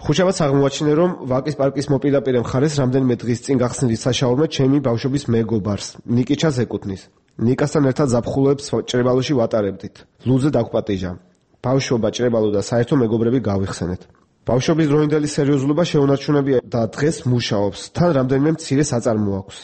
ხუთშაბათს აღმოაჩინე, რომ ვაკის პარკის მოპირდაპირე მხარეს რამდენიმე დღის წინ გახსნილი საშაურმე ჩემი ბავშვობის მეგობარს, ნიკიჩას ეკუთვნის. ნიკასთან ერთად ზაფხულოებს ჭრებალოში ვატარებდით. ლუძე დაგვპატიჟა. ბავშვობა, ჭრებალო და საერთო მეგობრები გავიხსენეთ. ბავშვობის დროინდელი სერიოზულობა შეუნარჩუნებია და დღეს მუშაობს. თან რამდენიმე მცირე საწარმო აქვს.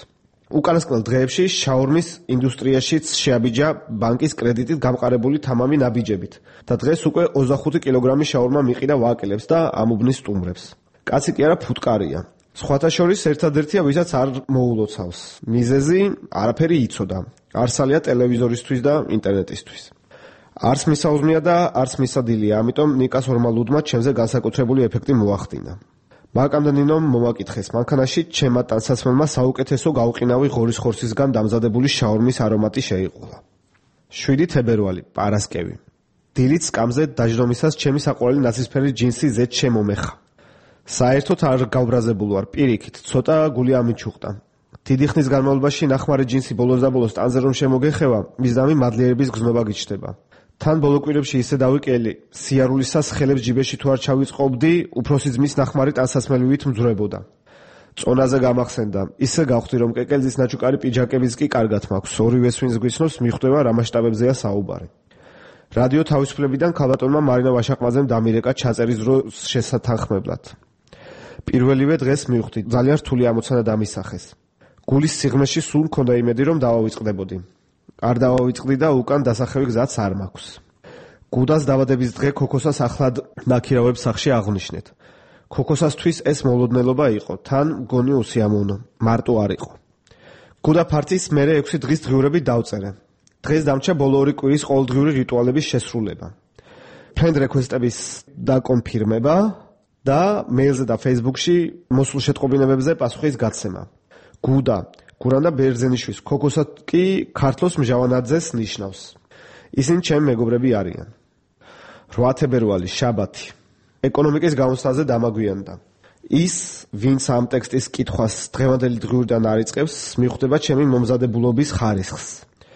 უკანასკნელ დღეებში შაურმის ინდუსტრიაშიც შეაბიჯა ბანკის კრედიტით გამყარებული თამამი ნაბიჯებით და დღეს უკვე ოცდახუთი კილოგრამი შაურმა მიყიდა ვაკელებს და ამუბნის სტუმრებს. კაცი კი არა ფუტკარია. სხვათა შორის ერთადერთია, ვისაც არ მოულოცავს. მიზეზი არაფერი იცოდა. არსალია ტელევიზორისთვის და ინტერნეტისთვის. არც მისაუზმია და არც მისადილია, ამიტომ ნიკას ორმალუდმა ჩემზე განსაკუთრებული ეფექტი მოახდინა. მაკამდე ნინომ მომაკითხეს, მანქანაში ჩემმა ტანსაცმელმა საუკეთესო გაუყინავი ღორის ხორცისგან დამზადებული შაურმის არომატი შეიყოლა. შვიდი თებერვალი, პარასკევი. დილით სკამზე დაждომისას ჩემი საყვარელი ნაცრისფერი ჯინსი ზედ შემომეხა. საერთოდ არ გავბრაზებულ ვარ, პირიქით, ცოტა გული ამიჩუყდა. დიდი ხნის განმავლობაში ნახმარი ჯინსი ბოლოს და ბოლოს ტანზე რომ შემოგეხევა, მისდამი მადლიერების გზნობა გიჩნდება. თან ბოლო კვირებში ისე დავიკელი, სიარულისას ხელებს ჯიბეში თუ არ ჩავიწყობდი, უფროსი ძმის ნახმარი ტანსაცმელივით მძვრებოდა. წონაზე გამახსენდა, ისე გავხდი რომ კეკელიძის ნაჩუკარი პიჯაკებიც კი კარგად მაქვს, ორივეს ვინც გვიცნობს მიხვდება რა მასშტაბებზეა საუბარი. რადიო თავისუფლებიდან ქალბატონმა მარინა ვაშაყმაძემ დამირეკა ჩაწერის დროს შესათანხმებლად. პირველივე დღეს მივხვდი, ძალიან რთული ამოცანა დამისახეს. გულის სიღრმეში სულ მქონდა იმედი რომ დავავიწყდებოდი. არ დავავიწყდი და უკან დასახევი გზაც არ მაქვს. გუდას დაბადების დღე ქოქოსას ახლად ნაქირავებს სახში აღნიშნეთ. ქოქოსასთვის ეს მოლოდნელობა იყო, თან მგონი უსიამოვნო, მარტო არ იყო. გუდა ფარტის მერე ექვსი დღის დღიურები დავწერე. დღეს დამრჩა ბოლო ორი კვირის ყოველდღიური რიტუალების შესრულება. ფრენდ რეკვესტების დაკონფირმება და მეილზე და Facebook-ში მოსულ შეტყობინებებზე პასუხის გაცემა. გუდა გურანდა ბერძენიშვილს, ქოქოსად კი ქართლოს მჟავანაძეს ნიშნავს. ისინი ჩემი მეგობრები არიან. რვა თებერვალი, შაბათი. ეკონომიკის გამოსვლაზე დამაგვიანდა. ის, ვინც ამ ტექსტის კითხვას დღევანდელი დღიურიდან არ იწყებს, მიხვდება ჩემი მომზადებულობის ხარისხს.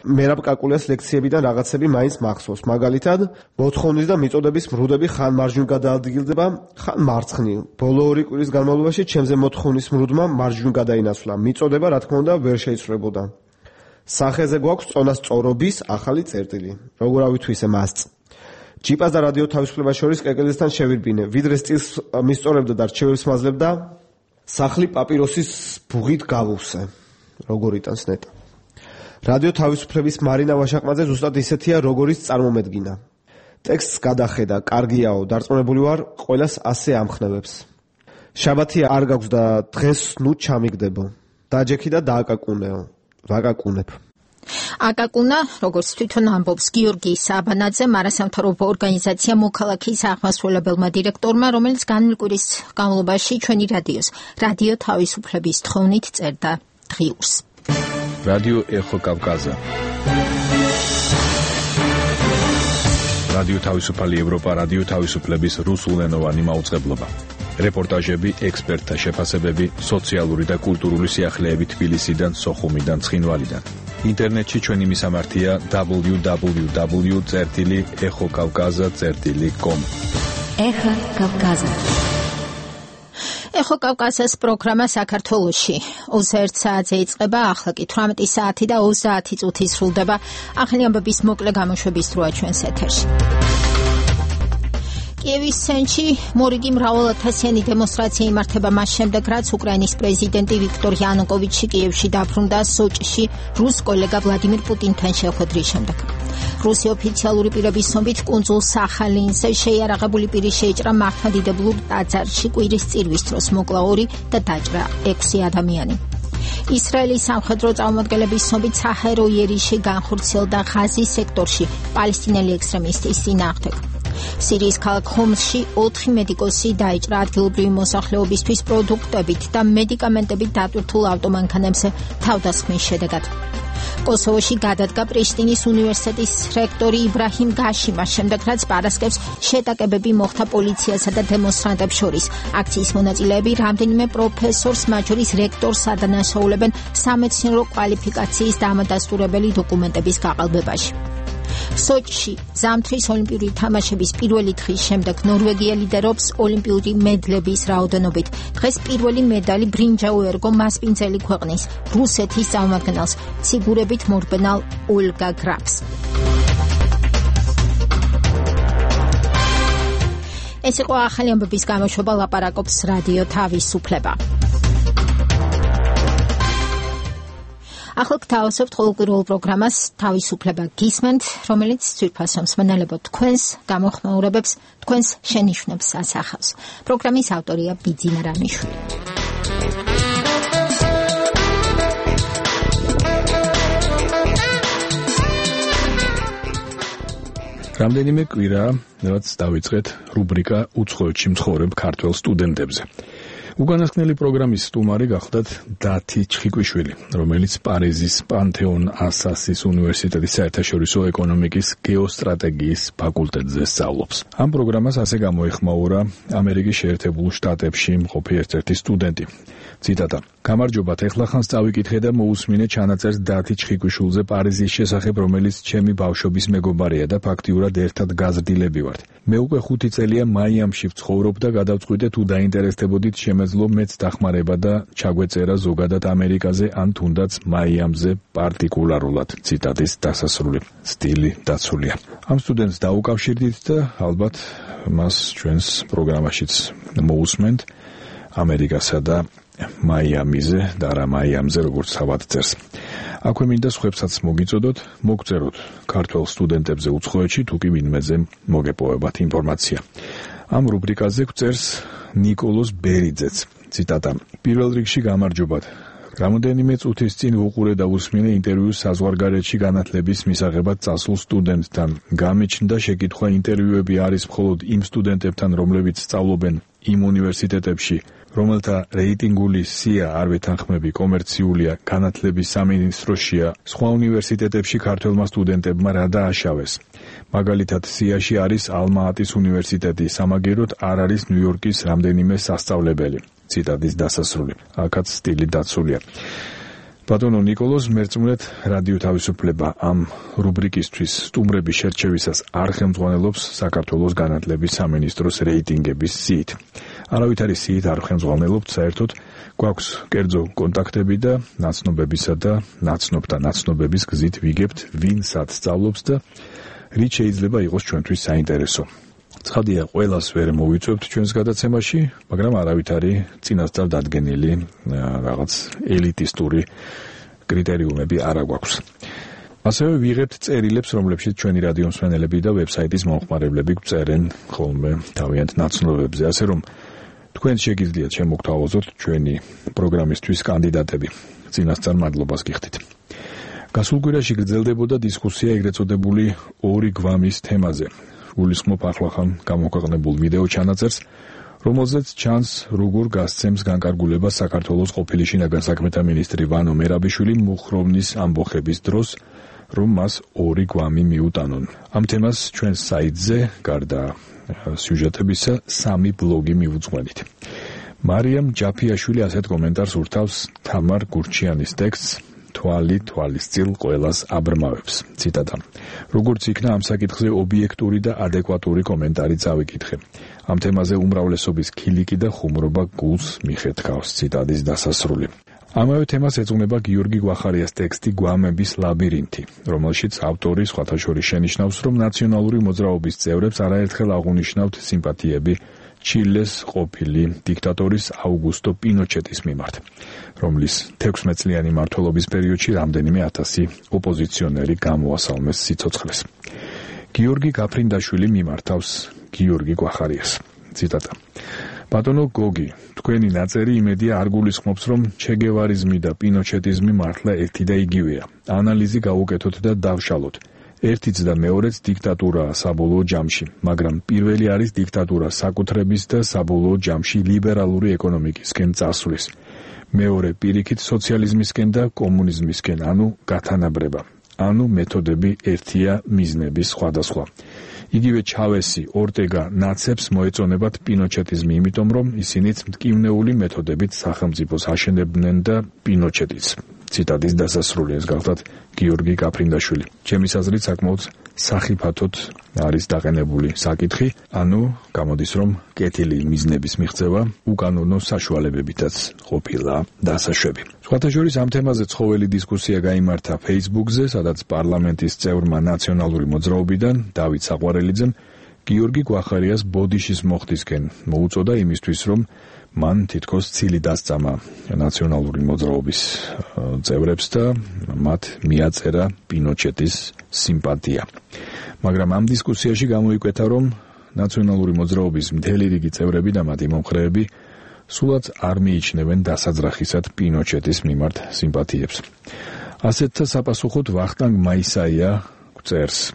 მერაბ კაკულიას ლექციებიდან რაღაცები მაინც მახსოვს. მაგალითად, მოთხოვნის და მიწოდების მრუდები ხან მარჯვნივ გადაადგილდება, ხან მარცხნივ. ბოლო ორი კვირის განმავლობაში ჩემზე მოთხოვნის მრუდმა მარჯვნივ გადაინაცვლა. მიწოდება, რა თქმა უნდა, ვერ შეიცვლებოდა. სახეზე გვაქვს წონასწორობის ახალი წერტილი. როგორ ავითვისე მასწ. ჯიპას და რადიო თავისუფლებას შორის კეკელიძესთან შევირბინე. ვიდრე სტილს მისწორებდა და რჩევებს მაძლევდა, სახლი პაპიროსის ბუღით გავუსე. როგორ იტანს ნეტა. რადიო თავისუფლების მარინა ვაშაყმაძე ზუსტად ისეთია, როგორიც წარმომედგინა. ტექსტს გადახედა, კარგიაო, დარწმუნებული ვარ, ყველას ასე ამხნევებს. შაბათი არ გაქვს და დღეს ნუ ჩამიგდებო. დაჯექი და დააკაკუნეო. ვაკაკუნებ. აკაკუნა, როგორც თვითონ ამბობს გიორგი საბანაძე, არასამთავრობო ორგანიზაცია მოქალაქის აღმასრულებელმა დირექტორმა, რომელიც განვლილი კვირის განმავლობაში ჩვენი რადიოს, რადიო თავისუფლების თხოვნით წერდა დღიურს. რადიო ეხო კავკაზა. რადიო თავისუფალი ევროპა, რადიო თავისუფლების რუსულენოვანი მაუწყებლობა. რეპორტაჟები, ექსპერტთა შეფასებები, სოციალური და კულტურული სიახლეები თბილისიდან, სოხუმიდან, ცხინვალიდან. ინტერნეტში ჩვენი მისამართია double-u double-u double-u წერტილი ეხოკავკაზა წერტილი com. ეხა კავკაზა. ეხო კავკასიის პროგრამა საქართველოში ოცდაერთ საათზე იწყება, ახლა კი თვრამეტი საათი და ოცდაათი წუთი სრულდება. ახალი ამბების მოკლე გამოშვების დროა ჩვენს ეთერში. კიევის ცენტრში მორიგი მრავალათასიანი დემონსტრაცია იმართება მას შემდეგ, რაც უკრაინის პრეზიდენტი ვიქტორ იანუკოვიჩი კიევში დაბრუნდა სოჭში რუს კოლეგა ვლადიმირ პუტინთან შეხვედრის შემდეგ. რუსი ოფიციალური პირების ცნობით კუნძულ სახალინზე შეიარაღებული პირი შეიჭრა მართლმადიდებლურ ტაძარში კვირის წირვის დროს, მოკლა ორი და დაჭრა ექვსი ადამიანი. ისრაელის სამხედრო წარმომადგენლების ცნობით საჰაერო იერიში განხორციელდა ღაზის სექტორში პალესტინელი ექსტრემისტის წინააღმდეგ. სირიის ქალაქ ხომსში ოთხი მედიკოსი დაიჭრა ადგილობრივი მოსახლეობისთვის პროდუქტებით და მედიკამენტებით დატვირთულ ავტომანქანებზე თავდასხმის შედეგად. კოსოვოში გადადგა პრიშტინის უნივერსიტეტის რექტორი იბრაჰიმ გაშიმა, შემდეგ რაც პარასკევს შეტაკებები მოხდა პოლიციასა და დემონსტრანტებს შორის. აქციის მონაწილეები რამდენიმე პროფესორს, მათ შორის რექტორს ადანაშაულებენ სამეცნიერო კვალიფიკაციის დამადასტურებელი დოკუმენტების გაყალბებაში. სოჭში ზამთრის ოლიმპიური თამაშების პირველი დღის შემდეგ ნორვეგია ლიდერობს ოლიმპიური მედლების რაოდენობით. დღეს პირველი მედალი ბრინჯაო ერგო მასპინძელი ქვეყნის რუსეთის წარმომადგენელს, ციგურებით მორბენალ ოლგა გრაფს. ეს იყო ახალი ამბების გამოშვება, ლაპარაკობს რადიო თავისუფლება. ახლა გთავაზობთ ყოველკვირეულ პროგრამას თავისუფლება გისმენთ, რომელიც ძვირფასო მსმენელებო თქვენს გამოხმაურებებს, თქვენს შენიშვნებს ასახავს. პროგრამის ავტორია ბიძინა რამიშვილი. რამდენიმე კვირაა, რაც დავიწყეთ რუბრიკა უცხოეთში მცხოვრებ ქართველ სტუდენტებზე. უკანასკნელი პროგრამის სტუმარი გახლდათ დათი ჩხიკვიშვილი, რომელიც პარიზის პანთეონ ასასის უნივერსიტეტის საერთაშორისო ეკონომიკის გეოსტრატეგიის ფაკულტეტზე სწავლობს. ამ პროგრამას ასე გამოეხმაურა ამერიკის შეერთებულ შტატებში მყოფი ერთ-ერთი სტუდენტი. ციტატა: გამარჯობათ, ეხლახან წავიკითხე და მოусმინე ჩანაწერს დათი ჩხიკვიშვილზე პარიზის შესახებ, რომელიც ჩემი ბავშვობის მეგობარია და ფაქტიურად ერთად გაზრდილები ვართ. მე უკვე ხუთი წელია მაიამში ვცხოვრობ და გადავწყვიტე თუ დაინტერესდებოდით შემეძლო მეც დახმარება და ჩაგვეწერა ზოგადად ამერიკაზე ან თუნდაც მაიამზე პარტიკულარულად. ციტატის დასასრული. სტილი დაცულია. ამ სტუდენტს დაუკავშირდით და ალბათ მას ჩვენს პროგრამაშიც მოусმენთ ამერიკასა და მაიამიზე და რა მაიამზე როგორც თავად წერს. აქვე მინდა სხვებსაც მოგიწოდოთ, მოგწეროთ ქართველ სტუდენტებზე უცხოეთში, თუ კი ვინმეზე მოგეპოვებათ ინფორმაცია. ამ რუბრიკაზე გვწერს ნიკოლოზ ბერიძეც. ციტატა: პირველ რიგში გამარჯობათ. რამოდენიმე წუთის წინ ვუყურე და უსმინე ინტერვიუს საზღვარგარეთში განათლების მისაღებად წასულ სტუდენტთან. გამიჩნდა შეკითხვა, ინტერვიუები არის მხოლოდ იმ სტუდენტებთან, რომლებიც სწავლობენ იმ უნივერსიტეტებში, რომელთა რეიტინგული სია არ ვეთანხმები, კომერციულია, განათლების სამინისტროშია, სხვა უნივერსიტეტებში ქართველმა სტუდენტებმა რა დააშავეს. მაგალითად, სიაში არის ალმა-ატის უნივერსიტეტი, სამაგეროდ არ არის ნიუ-იორკის რამდენიმე სასწავლებელი. ციტატის დასასრული. აქაც სტილი დაცულია. ბატონო ნიკოლოზ, მერწმუნეთ რადიო თავისუფლება ამ რუბრიკისთვის სტუმრების შერჩევისას არ ხელმძღვანელობს საქართველოს განათლების სამინისტროს რეიტინგების სიით. არავით არის სიით არ ხელმძღვანელობთ, საერთოდ გვაქვს კერძო კონტაქტები და ნაცნობებისა და ნაცნობთა ნაცნობების გზით ვიგებთ, ვინ სად სწავლობს და რით შეიძლება იყოს ჩვენთვის საინტერესო. ცხადია, ყველას ვერ მოვიწვევთ ჩვენს გადაცემაში, მაგრამ არავით არის წინასწარ დადგენილი რაღაც ელიტისტური კრიტერიუმები არ აქვს. ასევე ვიღებთ წერილებს, რომლებშიც ჩვენი რადიო მსმენელები და ვებსაიტის მომხმარებლები გვწერენ ხოლმე თავიანთ ნაცნობებზე, ასე რომ თქვენ შეგიძლიათ შემოგთავაზოთ ჩვენი პროგრამისთვის კანდიდატები. წინასწარ მადლობას გიხდით. გასულ კვირაში გრძელდებოდა დისკუსია ეგრეთ წოდებული ორი გვამის თემაზე. გულისხმობ ახლახან გამოქვეყნებულ ვიდეო ჩანაწერს, რომელზეც ჩანს, როგორ გასცემს განკარგულებას საქართველოს ყოფილი შინაგან საქმეთა მინისტრი ვანო მერაბიშვილი მუხროვნის ამბოხების დროს, რომ მას ორი გვამი მიუტანონ. ამ თემას ჩვენს საიტზე გარდა სიუჟეტებისა სამი ბლოგი მივუძღვენით. მარიამ ჯაფიაშვილი ასეთ კომენტარს ურთავს თამარ გურჩიანის ტექსტს თვალი თვალისწილ ყველას აბრმავებს. ციტატა. როგორც იქნა ამ საკითხზე ობიექტური და ადეკვატური კომენტარი წავიკითხე. ამ თემაზე უმრავლესობის ქილიკი და ხუმრობა გულს მიხეთქავს. ციტატის დასასრული. ამავე თემას ეძღვნება გიორგი გვახარიას ტექსტი გვამების ლაბირინთი, რომელშიც ავტორი სხვათა შორის შენიშნავს, რომ ნაციონალური მოძრაობის წევრებს არაერთხელ აღუნიშნავთ სიმპათიები ჩილეს ყოფილი დიქტატორის აუგუსტო პინოჩეტის მიმართ, რომლის თექვსმეტწლიანი მმართველობის პერიოდში რამდენიმე ათასი ოპოზიციონერი გამოასალმეს სიცოცხლეს. გიორგი გაფრინდაშვილი მიმართავს გიორგი გვახარიას. ციტატა. ბატონო გოგი, თქვენი ნაწერი იმედია არ გულისხმობს, რომ ჩეგევარიზმი და პინოჩეტიზმი მართლა ერთი და იგივეა. ანალიზი გავუკეთოთ და დავშალოთ. ერთიც და მეორეც დიქტატურაა საბოლოო ჯამში, მაგრამ პირველი არის დიქტატურა საკუთრების და საბოლოო ჯამში ლიბერალური ეკონომიკისკენ წასვლის. მეორე პირიქით სოციალიზმისკენ და კომუნიზმისკენ, ანუ გათანაბრება. ანუ მეთოდები ერთია, მიზნები სხვადასხვა. იგივე ჩავესი, ორტეგა, ნაცებს მოეწონებათ პინოჩეტიზმი, იმიტომ რომ ისინიც მტკივნეული მეთოდებით სახელმწიფოს აშენებდნენ და პინოჩეტიც. ციტატის დასასრული. ეს გახლდათ გიორგი გაფრინდაშვილი. ჩემის აზრით საკმაოდ სახიფათოდ არის დაყენებული საკითხი, ანუ გამოდის რომ კეთილი მიზნების მიღწევა უკანონო საშუალებებითაც ყოფილა დასაშვები. სხვათა შორის ამ თემაზე ცხოველი დისკუსია გაიმართა Facebook-ზე, სადაც პარლამენტის წევრმა ნაციონალური მოძრაობიდან დავით საყვარელიძემ გიორგი გვახარიას ბოდიშის მოხდისკენ მოუწოდა იმისთვის, რომ მან თითქოს ცილი დასწამა ნაციონალური მოძრაობის წევრებს და მათ მიაწერა პინოჩეტის სიმპათია. მაგრამ ამ დისკუსიაში გამოიკვეთა, რომ ნაციონალური მოძრაობის მთელი რიგი წევრები და მათი მომხრეები სულაც არ მიიჩნევენ დასაძრახისად პინოჩეტის მიმართ სიმპათიებს. ასეთთა საპასუხოდ ვახტანგ მაისაია წერს.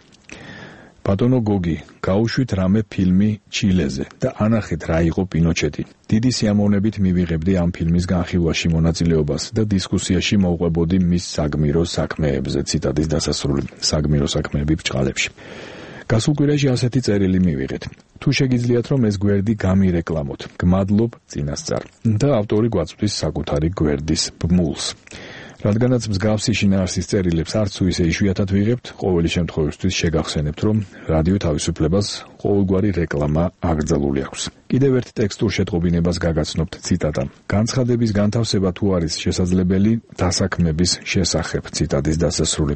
ბატონო გოგი, გაუშვით რამე ფილმი ჩილეზე და ანახეთ რა იყო პინოჩეტი. დიდი სიამოვნებით მივიღებდი ამ ფილმის განხილვაში მონაწილეობას და დისკუსიაში მოვყვებოდი მის საგმირო საქმეებზე. ციტატის დასასრული. საგმირო საქმეები ბრჭყალებში. გასულ კვირაში ასეთი წერილი მივიღეთ. თუ შეგიძლიათ რომ ეს გვერდი გამირეკლამოთ, გმადლობ წინასწარ. და ავტორი გვაწვდის საკუთარი გვერდის ბმულს. რადგანაც მსგავსი შინაარსის წერილებს არც თუ ისე იშვიათად ვიღებთ, ყოველი შემთხვევისთვის შეგახსენებთ, რომ რადიო თავისუფლებას ყოველგვარი რეკლამა აკრძალული აქვს. კიდევ ერთ ტექსტურ შეტყობინებას გაგაცნობთ. ციტატა. განცხადების განთავსება თუ არის შესაძლებელი დასაქმების შესახებ. ციტატის დასასრული.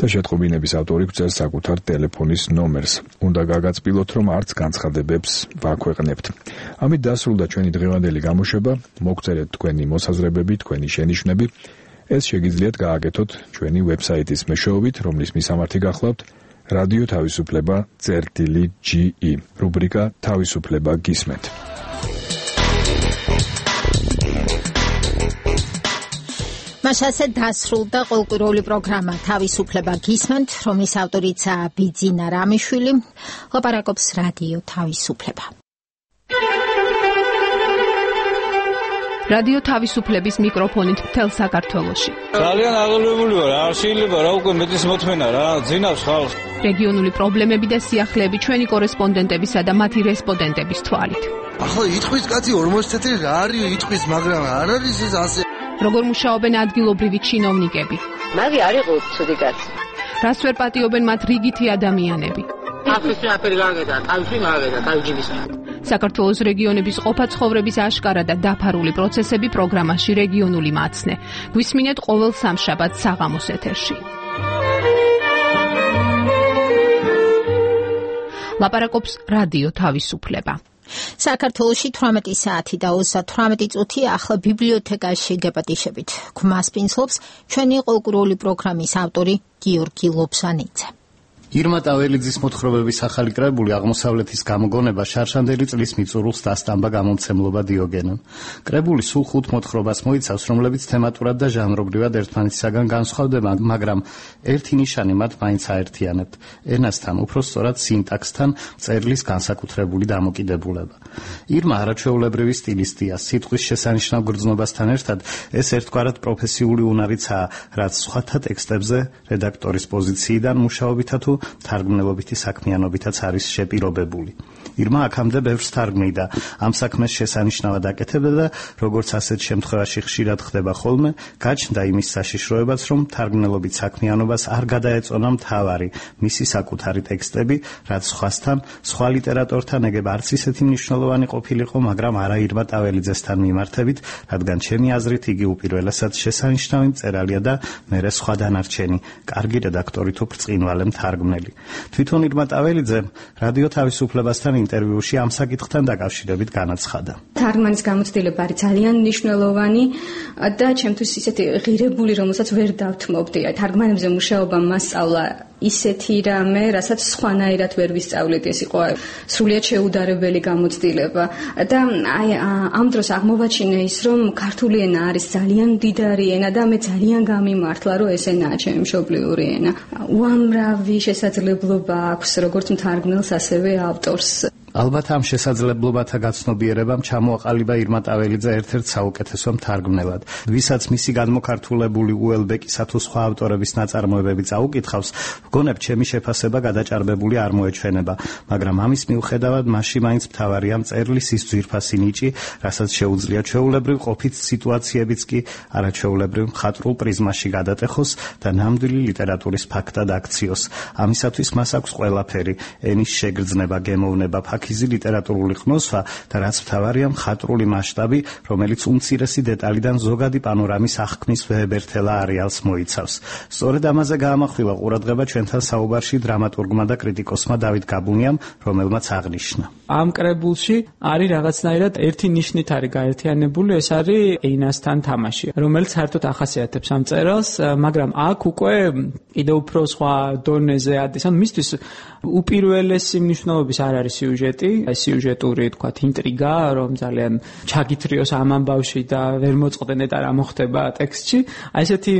და შეტყობინების ავტორი გვწერს საკუთარ ტელეფონის ნომერს. უნდა გაგაცილოთ, რომ არც განცხადებებს ვაქვეყნებთ. ამით დასრულდა ჩვენი დღევანდელი გამოშვება. მოგწერეთ თქვენი მოსაზრებები, თქვენი შენიშვნები. ეს შეგიძლიათ გააკეთოთ ჩვენი ვებსაიტის მეშვეობით, რომლის მისამართი გახლავთ რადიო თავისუფლება წერტილი ჯი ი, რუბრიკა თავისუფლება გისმენთ. მასაზე დასრულდა ყოველკვირეული პროგრამა თავისუფლება გისმენთ, რომლის ავტორიცაა ბიძინა რამიშვილი. ლაპარაკობს რადიო თავისუფლება. რადიო თავისუფლების მიკროფონით მთელ საქართველოში. ძალიან აღელვებული ვარ, არ შეიძლება რა უკვე მეტის მოთმენა რა, ძინავს ხალხს. რეგიონული პრობლემები და სიახლეები ჩვენი კორესპონდენტებისა და მათი რესპონდენტების თვალით. ახლა იტყვის კაცი ორმოცი წელი რა არის იტყვის, მაგრამ არ არის ეს ასე. როგორ მუშაობენ ადგილობრივი ჩინოვნიკები? მაგი არ იყო ცუდი კაცი. რას ვერ პატიობენ მათ რიგითი ადამიანები? აფრიკა აფერი გაგედა, თავში მაგედა, თავჯიბის. საქართველოს რეგიონების ყოფა ცხოვრების აშკარა და დაფარული პროცესები პროგრამაში რეგიონული მაცნე. გვისმინეთ ყოველ სამშაბათს საღამოს ეთერში. ლაპარაკობს რადიო თავისუფლება. საქართველოში თვრამეტი საათი და ოცდათვრამეტი წუთი ახლა ბიბლიოთეკაში გეპატიშებით. გვმასპინძლობს ჩვენი ყოველკვირეული პროგრამის ავტორი გიორგი ლობსანიძე. ირმა ტაველიძის მოთხრობების ახალი კრებული აღმოსავლეთის გამოგონება შარშანდელი წლის მიწურულს დასტამბა გამომცემლობა დიოგენემ. კრებული სულ ხუთ მოთხრობას მოიცავს, რომლებიც თემატურად და ჟანრობრივად ერთმანეთისაგან განსხვავდება, მაგრამ ერთი ნიშანი მათ მაინც აერთიანებთ: ენასთან, უფრო სწორად სინტაქსთან, წერლის განსაკუთრებული დამოკიდებულება. ირმა არაჩვეულებრივი სტილისტია, სიტყვის შესანიშნავ გრძნობასთან ერთად ეს ერთგვარად პროფესიული უნარიცაა, რაც სხვათა ტექსტებზე რედაქტორის პოზიციიდან მუშაობითა თუ თარგმნელობითი საქმიანობითაც არის შეპირობებული. ირმა აქამდე ბევრს თარგმნიდა, ამ საქმეს შესანიშნავად აკეთებდა და როგორც ასეთ შემთხვევაში ხშირად ხდება ხოლმე, გაჩნდა იმის საშიშროებაც, რომ თარგმნელობით საქმიანობას არ გადაეწონა მთავარი, მისი საკუთარი ტექსტები, რაც სხვასთან, სხვა ლიტერატორთან ეგებ არც ისეთი მნიშვნელოვანი ყოფილიყო, მაგრამ არა ირმა ტაველიძესთან მიმართებით, რადგან ჩემი აზრით იგი უპირველესად შესანიშნავი მწერალია და მერე სხვა დანარჩენი, კარგი რედაქტორი თუ ბრწყინვალე მთარგმნელი. თვითონ ირმა ტაველიძე რადიო თავისუფლებასთან ინტერვიუში ამ საკითხთან დაკავშირებით განაცხადა. თარგმანის გამოცდილება არის ძალიან მნიშვნელოვანი და ჩემთვის ისეთი ღირებული, რომელსაც ვერ დავთმობდი. თარგმანებზე მუშაობა მასწავლა ისეთი რამე, რასაც სხვანაირად ვერ ვისწავლეთ, ეს იყო სრულიად შეუდარებელი გამოცდილება და აი ამ დროს აღმოვაჩინე ის, რომ ქართული ენა არის ძალიან მდიდარი ენა და მე ძალიან გამიმართლა, რომ ეს ენაა ჩემი მშობლიური ენა. უამრავი შესაძლებლობა აქვს როგორც მთარგმნელს, ასევე ავტორს. ალბათ ამ შესაძლებლობათა გაცნობიერებამ ჩამოაყალიბა ირმა ტაველიძე ერთ-ერთ საუკეთესო მთარგმნელად. ვისაც მისი გადმოქართულებული უელბეკისა თუ სხვა ავტორების ნაწარმოებები წაუკითხავს, ვგონებ ჩემი შეფასება გადაჭარბებული არ მოეჩვენება, მაგრამ ამის მიუხედავად მასში მაინც მთავარია მწერლის ის ძვირფასი ნიჭი, რასაც შეუძლია ჩვეულებრივ ყოფით სიტუაციებიც კი არაჩვეულებრივ მხატვრულ პრიზმაში გადატეხოს და ნამდვილი ლიტერატურის ფაქტად აქციოს. ამისათვის მას აქვს ყველაფერი: ენის შეგრძნება, გემოვნება, ფაქიზი ლიტერატურული ხმოსვა და რაც მთავარია მხატვრული მასშტაბი, რომელიც უმცირესი დეტალიდან ზოგადი პანორამის აღქმის ვეებერთელა არეალს მოიცავს. სწორედ ამაზე გაამახვილა ყურადღება ჩვენთან საუბარში დრამატურგმა და კრიტიკოსმა დავით გაბუნიამ, რომელმაც აღნიშნა: ამ კრებულში არის რაღაცნაირად ერთი ნიშნით არის გაერთიანებული, ეს არის ენასთან თამაში, რომელიც საერთოდ ახასიათებს ამ მწერალს, მაგრამ აქ უკვე კიდევ უფრო სხვა დონეზე ადის. ანუ მისთვის უპირველესი მნიშვნელობის არ არის სიუჟეტი, სიუჟეტური თქვათ ინტრიგა, რომ ძალიან ჩაგითრიოს ამ ამბავში და ვერ მოწყდნენ და რა მოხდება ტექსტში. აი ესეთი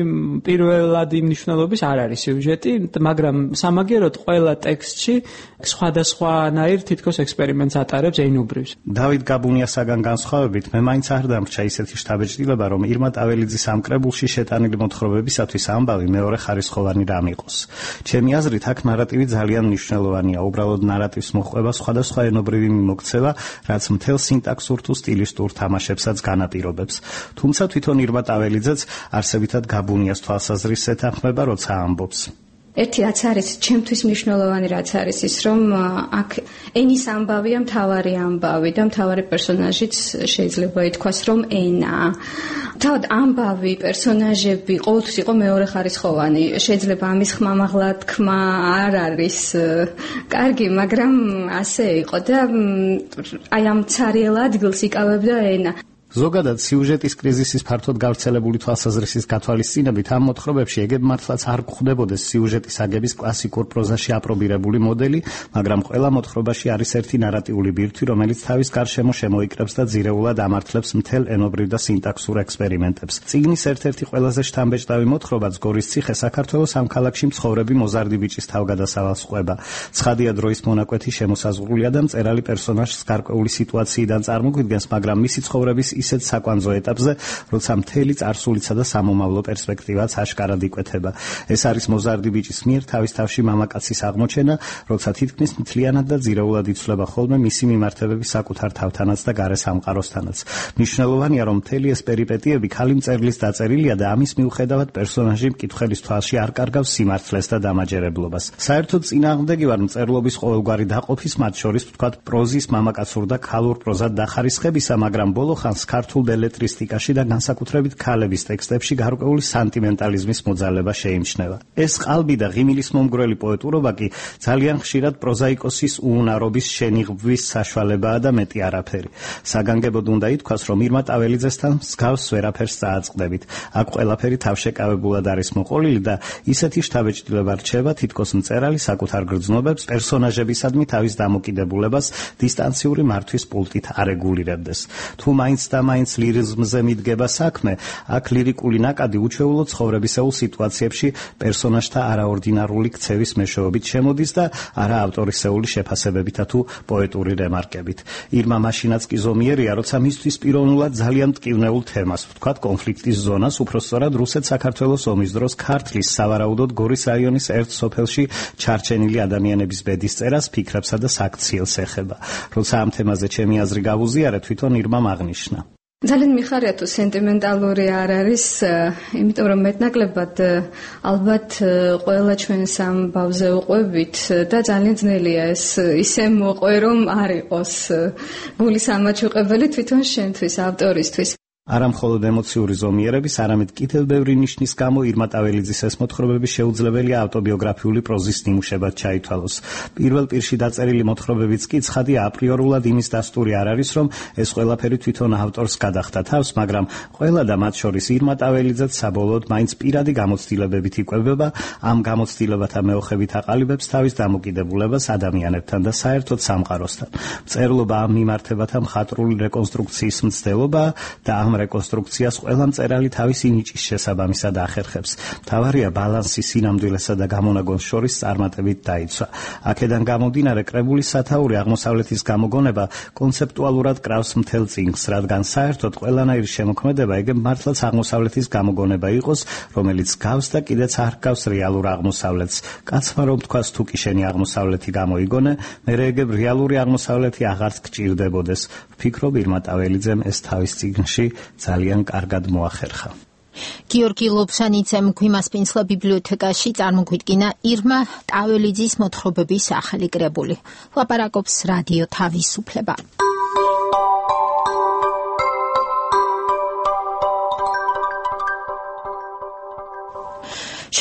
პირველადი მნიშვნელობის არ არის სიუჟეტი, მაგრამ სამაგიეროდ ყველა ტექსტში სხვადასხვანაირ თითქოს ექსპერიმენტს ატარებს ენობრივს. დავით გაბუნიასაგან განსხვავებით, მე მაინც არ დამრჩა ისეთი შთაბეჭდილება, რომ ირმა ტაველიძის ამ კრებულში შეტანილი მოთხრობებისათვის ამბავი მეორე ხარისხოვანი რამ იყოს. ჩემი აზრით, აქ ნარატივი ძალიან მნიშვნელოვანია, უბრალოდ ნარატივს მოჰყვება სხვადასხვა ენობრივი მიმოქცევა, რაც მთელ სინტაქსურ თუ სტილისტურ თამაშებსაც განაპირობებს. თუმცა თვითონ ირმა ტაველიძეც არსებითად გაბუნიას თვალსაზრისს ეთანხმება, როცა ამბობს. ერთი რაც არის ჩემთვის მნიშვნელოვანი, რაც არის ის, რომ აქ ენის ამბავია მთავარი ამბავი და მთავარი პერსონაჟიც შეიძლება ითქვას, რომ ენაა. თავად ამბავი, პერსონაჟები ყოველთვის იყო მეორე ხარისხოვანი. შეიძლება ამის ხმამაღლა თქმა არ არის კარგი, მაგრამ ასე იყო და აი ამ ცარიელ ადგილს იკავებდა ენა. ზოგადად სიუჟეტის კრიზისის ფართოდ გავრცელებული თვალსაზრისის გათვალისწინებით ამ მოთხრობებში ეგებ მართლაც არ გვხვდებოდეს სიუჟეტის აგების კლასიკურ პროზაში აპრობირებული მოდელი, მაგრამ ყველა მოთხრობაში არის ერთი ნარატიული ბირთვი, რომელიც თავის გარშემო შემოიკრებს და ძირეულად ამართლებს მთელ ენობრივ და სინტაქსურ ექსპერიმენტებს. წიგნის ერთ-ერთი ყველაზე შთამბეჭდავი მოთხრობაც გორის ციხე საქართველოს ამ ქალაქში მცხოვრები მოზარდი ბიჭის თავგადასავალს ყვება. ცხადია დროის მონაკვეთი შემოსაზღვრულია და მწერალი პერსონაჟს გარკვეული სიტუაციიდან წარმოგვიდგენს, მაგრამ მისი ცხოვრების ისეთ საკვანძო ეტაპზე, როცა მთელი წარსულისა და სამომავლო პერსპექტივაც აშკარად იკვეთება. ეს არის მოზარდი ბიჭის მიერ თავის თავში მამაკაცის აღმოჩენა, როცა თითქმის მთლიანად და ძირეულად იცვლება ხოლმე მისი მიმართებები საკუთარ თავთანაც და გარე სამყაროსთანაც. მნიშვნელოვანია, რომ მთელი ეს პერიპეტიები ქალი მწერლის დაწერილია და ამის მიუხედავად პერსონაჟი მკითხველის თვალში არ კარგავს სიმართლეს და დამაჯერებლობას. საერთოდ წინააღმდეგი ვარ მწერლობის ყოველგვარი დაყოფის, მათ შორის ვთქვათ პროზის მამაკაცურ და ქალურ პროზად დახარისხებისა, მაგრამ ბოლო ხანს ქართულ ბელეტრისტიკაში და განსაკუთრებით ქალების ტექსტებში გარკვეული სანტიმენტალიზმის მოძალება შეიმჩნევა. ეს ყალბი და ღიმილის მომგვრელი პოეტურობა კი ძალიან ხშირად პროზაიკოსის უუნარობის შენიღბვის საშუალებაა და მეტი არაფერი. საგანგებოდ უნდა ითქვას, რომ ირმა ტაველიძესთან მსგავს ვერაფერს წააწყდებით. აქ ყველაფერი თავშეკავებულად არის მოყოლილი და ისეთი შთაბეჭდილება რჩება, თითქოს მწერალი საკუთარ გრძნობებს პერსონაჟებისადმი თავის დამოკიდებულებას დისტანციური მართვის პულტით არეგულირებდეს. თუ მაინც და მაინც ლირიზმზე მიდგება საქმე, აქ ლირიკული ნაკადი უჩვეულო ცხოვრებისეულ სიტუაციებში პერსონაჟთა არაორდინარული ქცევის მეშვეობით შემოდის და არა ავტორისეული შეფასებებითა თუ პოეტური რემარკებით. ირმა მაშინაც კი ზომიერია, როცა მისთვის პიროვნულად ძალიან მტკივნეულ თემას, ვთქვათ კონფლიქტის ზონას, უпростоრად რუსეთ-საქართველოს ომის დროს ქართლის სავარაუდოდ გორის რაიონის ერთ სოფელში ჩარჩენილი ადამიანების ბედისწერას, ფიქრებსა და საქციელს ეხება. როცა ამ თემაზე ჩემი აზრი გავუზიარე, თვითონ ირმამ აღნიშნა. ძალიან მიხარია თუ სენტიმენტალური არ არის, იმიტომ რომ მეტნაკლებად ალბათ ყველა ჩვენს ამ ბავზე უყვებით და ძალიან ძნელია ეს ისე მოყვე რომ არ იყოს გულის ამაჩუყებელი თვითონ შენთვის, ავტორისთვის. არა მხოლოდ ემოციური ზომიერების, არამედ კიდევ ბევრი ნიშნის გამო ირმა ტაველიძის ეს მოთხრობები შეუძლებელია ავტობიოგრაფიული პროზის ნიმუშებად ჩაითვალოს. პირველ პირში დაწერილი მოთხრობებიც კი ცხადია აპრიორულად იმის დასტური არ არის, რომ ეს ყველაფერი თვითონ ავტორს გადახდა თავს, მაგრამ ყველა და მათ შორის ირმა ტაველიძეც საბოლოოდ მაინც პირადი გამოცდილებებით იკვებება, ამ გამოცდილებათა მეოხებით აყალიბებს თავის დამოკიდებულებას ადამიანებთან და საერთოდ სამყაროსთან. მწერლობა ამ მიმართებათა მხატვრული რეკონსტრუქციის მცდელობა და ამ რეკონსტრუქციას ყველა მწერალი თავისი ნიჭის შესაბამისად ახერხებს. მთავარია ბალანსი სინამდვილესა და გამონაგონს შორის წარმატებით დაიცვა. აქედან გამომდინარე კრებულის სათაური აღმოსავლეთის გამოგონება კონცეპტუალურად კრავს მთელ წიგნს, რადგან საერთოდ ყველანაირი შემოქმედება ეგ მართლაც აღმოსავლეთის გამოგონება იყოს, რომელიც გავს და კიდეც არ გავს რეალურ აღმოსავლეთს. კაცმა რომ თქვას თუ კი შენი აღმოსავლეთი გამოიგონე, მერე ეგ რეალური აღმოსავლეთი აღარც გჭირდებოდეს. ვფიქრობ ირმა ტაველიძემ ეს თავის წიგნში ძალიან კარგად მოახერხა. გიორგი ლობსანიძემ გვიმასპინძლა ბიბლიოთეკაში წარმოგვიდგინა ირმა ტაველიძის მოთხრობების ახალი კრებული. ლაპარაკობს რადიო თავისუფლება.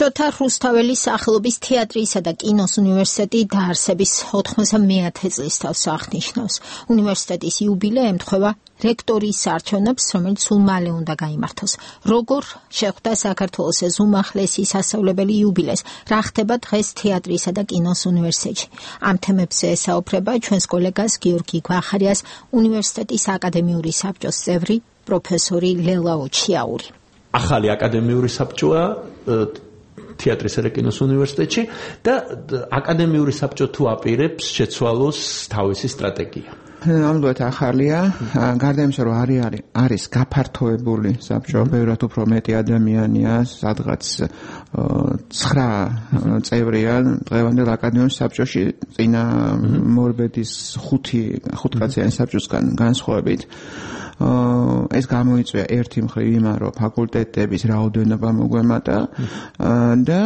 შოთა რუსთაველის სახელობის თეატრისა და კინოს უნივერსიტეტი დაარსების ოთხმოცდამეათე წლის თავს აღნიშნავს. უნივერსიტეტის იუბილე ემთხვევა რექტორის არჩევნებს, რომელიც სულ მალე უნდა გაიმართოს. როგორ შეხვდა საქართველოს ეს უმაღლესი სასწავლებელი იუბილეს? რა ხდება დღეს თეატრისა და კინოს უნივერსიტეტში? ამ თემებზე ესაუბრება ჩვენს კოლეგას გიორგი გვახარიას, უნივერსიტეტის აკადემიური საბჭოს წევრი პროფესორი ლელა ოჩიაური. ახალი აკადემიური საბჭოა თეატრისა და კინოს უნივერსიტეტში და აკადემიური საბჭო თუ აპირებს შეცვალოს თავისი სტრატეგია. ნამდვილად ახალია, გარდა იმისა, რომ არის არის გაფართოებული საბჭო, ბევრად უფრო მეტი ადამიანია, სადღაც ცხრა წევრია დღევანდელ აკადემიურ საბჭოში, წინა მორბედის ხუთი ხუთკაციანი საბჭოსგან განსხვავებით. ეს გამოიწვია ერთი მხრივ იმან, რომ ფაკულტეტების რაოდენობა მოგვემატა და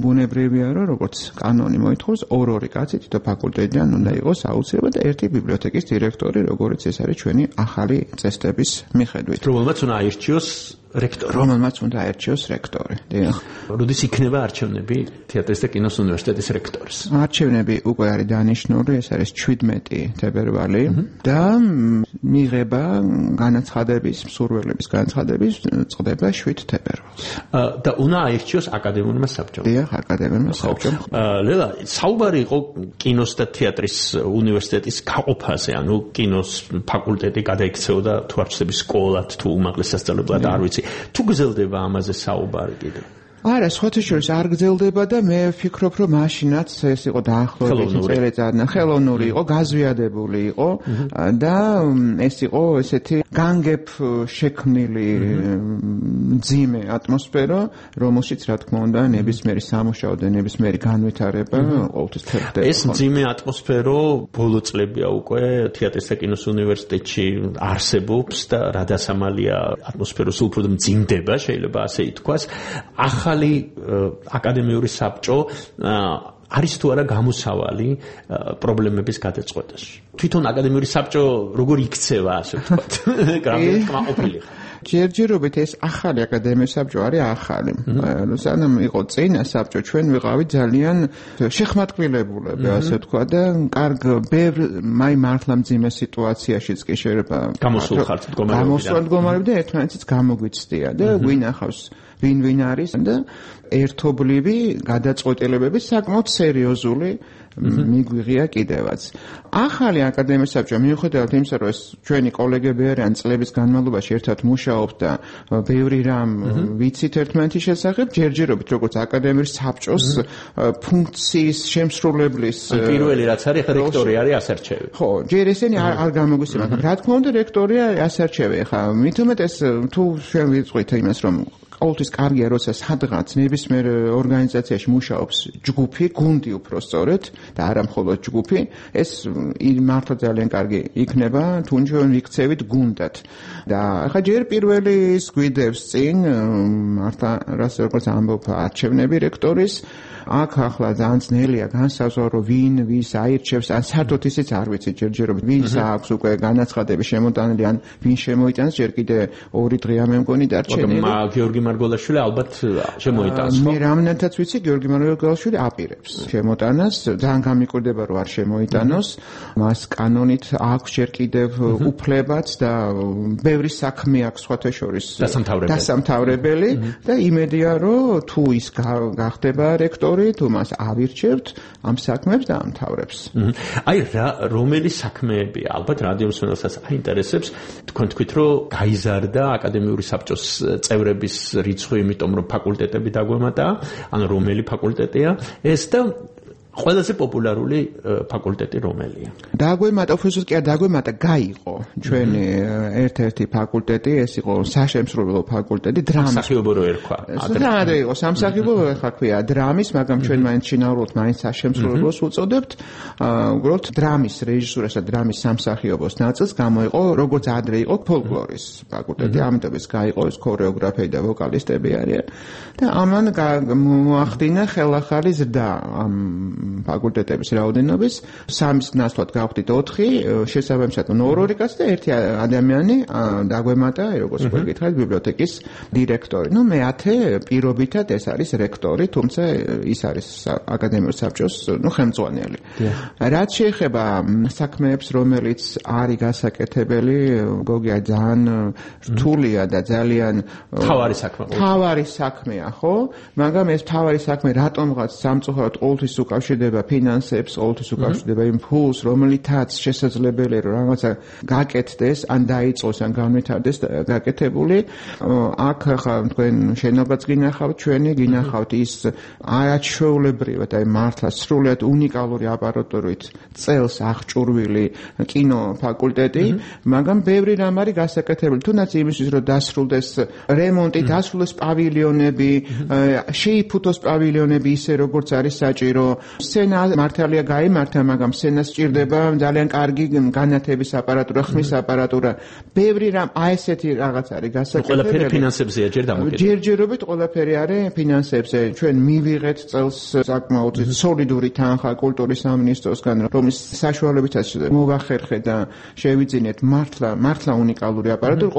ბუნებრივია, რომ როგორც კანონი მოითხოვს, ორ-ორი კაცი თითო ფაკულტეტიდან უნდა იყოს აუცილებლად და ერთი ბიბლიოთეკის დირექტორი, როგორც ეს არის ჩვენი ახალი წესდების მიხედვით. რომელმაც უნდა აირჩიოს რექტორი. რომელმაც უნდა აირჩიოს რექტორი. დიახ. როდის იქნება არჩევნები თეატრის და კინოს უნივერსიტეტის რექტორის? არჩევნები უკვე არის დანიშნული, ეს არის შვიდმეტი თებერვალი და მიღება განაცხადების, მსურველების განაცხადების წდება შვიდ თებერვალს. და უნდა აირჩიოს აკადემიურმა საბჭომ. დიახ, აკადემიურმა საბჭომ. ლელა, საუბარი იყო კინოს და თეატრის უნივერსიტეტის გაყოფაზე, ანუ კინოს ფაკულტეტი გადაიქცეოდა თუ არჩევნების სკოლად, თუ უმაღლეს სასწავლებლად, არ ვიცი. თუ გრძელდება ამაზე საუბარი კიდე? არა, სხვათა შორის არ გრძელდება და მე ვფიქრობ, რომ მაშინაც ეს იყო დაახლოებით წერეწადნა, ხელოვნური იყო, გაზვიადებული იყო და ეს იყო ესეთი განგებ შექმნილი მძიმე ატმოსფერო, რომელშიც რა თქმა უნდა ნებისმიერი სამუშაო და ნებისმიერი განვითარება ყოველთვის ხერხდება. ეს მძიმე ატმოსფერო ბოლო წლებია უკვე თეატრის და კინოს უნივერსიტეტში არსებობს და რა დასამალია ატმოსფეროს უფრო მძიმდება, შეიძლება ასე ითქვას. ახალი აკადემიური საბჭო არის თუ არა გამოსავალი პრობლემების გადაწყვეტაში. თვითონ აკადემიური საბჭო როგორ იქცევა, ასე ვთქვათ, გრამატიკა კმაყოფილი ხარ. ჯერჯერობით ეს ახალი აკადემიური საბჭო არის ახალი. სანამ იყო წინა საბჭო, ჩვენ ვიყავით ძალიან შეხმატკილებულები, ასე ვთქვა და კარგ ბევრ მაი მართლა მძიმე სიტუაციაშიც კი შეიძლება გამოსულ ხართ მდგომარეობიდან. გამოსულ მდგომარეობიდან ერთმანეთს გამოგვიცდია და ვინ ახავს ვინ ვინ არის და ერთობლივი გადაწყვეტილებები საკმაოდ სერიოზული მიგვიღია კიდევაც. ახალი აკადემიის საბჭო მიუხედავად იმისა, რომ ეს ჩვენი კოლეგები არიან წლების განმავლობაში ერთად მუშაობთ და ბევრი რამ ვიცით ერთმანეთის შესახებ, ჯერჯერობით როგორც აკადემიის საბჭოს ფუნქციის შემსრულებლის პირველი რაც არის, ხა რექტორი არის ასარჩევი. ხო, ჯერ ესენი არ გამოგვისწრება, მაგრამ რა თქმა უნდა რექტორია ასარჩევი. ხა მით უმეტეს თუ ჩვენ ვიწყოთ იმას, რომ ყოველთვის კარგია, როცა სადღაც ნებისმიერ ორგანიზაციაში მუშაობს ჯგუფი, გუნდი უფრო სწორედ და არა მხოლოდ ჯგუფი, ეს მართლა ძალიან კარგი იქნება, თუ ჩვენ ვიქცევით გუნდად. და ახლა ჯერ პირველი ის გვიდევს წინ მართლა რას როგორც ამბობ არჩევნები რექტორის, აქ ახლა ძალიან ძნელია განსაზღვრო ვინ ვის აირჩევს, ან საერთოდ ისიც არ ვიცი ჯერჯერობით ვის აქვს უკვე განაცხადები შემოტანილი, ან ვინ შემოიტანს, ჯერ კიდე ორი დღეა მე მგონი დარჩენილი. გიორგი მარგველაშვილი ალბათ შემოიტანს, ხო? მე რამდენადაც ვიცი, გიორგი მარგველაშვილი აპირებს შემოტანას, ძალიან გამიკვირდება რომ არ შემოიტანოს, მას კანონით აქვს ჯერ კიდევ უფლებაც და ბევრი საქმე აქვს სხვათა შორის დასამთავრებელი და იმედია რომ თუ ის გახდება რექტორი, თუ მას ავირჩევთ, ამ საქმეებს დაამთავრებს. აი რა რომელი საქმეები ალბათ რადიო მსმენელსაც აინტერესებს, თქვენ თქვით რომ გაიზარდა აკადემიური საბჭოს წევრების რიცხვი, იმიტომ რომ ფაკულტეტები დაგვემატა, ან რომელი ფაკულტეტია ეს და ყველაზე პოპულარული ფაკულტეტი რომელია? დაგვემატა, უბრალოდ კი არ დაგვემატა, გაიყო ჩვენი ერთ-ერთი ფაკულტეტი, ეს იყო საშემსრულებლო ფაკულტეტი დრამის. სამსახიობო რო ერქვა. რა იყო, სამსახიობო ხა ქვია დრამის, მაგრამ ჩვენ მაინც შინაურულად მაინც საშემსრულებლოს უწოდებთ. უბრალოდ დრამის რეჟისურას და დრამის სამსახიობოს ნაწილს გამოიყო, როგორც ადრე იყო ფოლკლორის ფაკულტეტი, ამიტომ ეს გაიყო, ეს ქორეოგრაფები და ვოკალისტები არიან. და ამან მოახდინა ხელახალი ზრდა ამ ფაკულტეტების რაოდენობის, სამის ნაცვლად გავხდით ოთხი, შესაბამისად ორ-ორი კაცი და ერთი ადამიანი დაგვემატა, როგორც გითხარით, ბიბლიოთეკის დირექტორი. ნუ მეათე პირობითად ეს არის რექტორი, თუმცა ის არის აკადემიური საბჭოს, ნუ ხელმძღვანელი. რაც შეეხება საქმეებს, რომელიც არის გასაკეთებელი, გოგია ძალიან რთულია და ძალიან თავარი საქმე. თავარი საქმეა, ხო? მაგრამ ეს თავარი საქმე რატომღაც სამწუხაროდ ყოველთვის უკავშირდება ფინანსებს, ყოველთვის უკავშირდება იმ ფულს, რომელითაც შესაძლებელია რომ რაღაცა გაკეთდეს, ან დაიწყოს, ან განვითარდეს გაკეთებული. აქ ხა თქვენ შენობაც გინახავთ, ჩვენი გინახავთ ის არაჩვეულებრივად, აი მართლა სრულიად უნიკალური აპარატურით წელს აღჭურვილი კინო ფაკულტეტი, მაგრამ ბევრი რამ არის გასაკეთებელი. თუნდაც იმისთვის რომ დასრულდეს რემონტი, დასრულდეს პავილიონები, შეიფუთოს პავილიონები ისე როგორც არის საჭირო. სცენა მართალია გაიმართა, მაგრამ სცენას სჭირდება ძალიან კარგი განათების აპარატურა, ხმის აპარატურა. ბევრი რამ აი ესეთი რაღაც არის გასაკეთებელი. ყველაფერი ფინანსებზეა ჯერ დამოკიდებული. ჯერჯერობით ყველაფერი არის ფინანსებზე. ჩვენ მივიღეთ წელს საკმაოდ სოლიდური თანხა კულტურის სამინისტროსგან, რომლის საშუალებითაც მოვახერხეთ და შევიძინეთ მართლა მართლა უნიკალური აპარატური.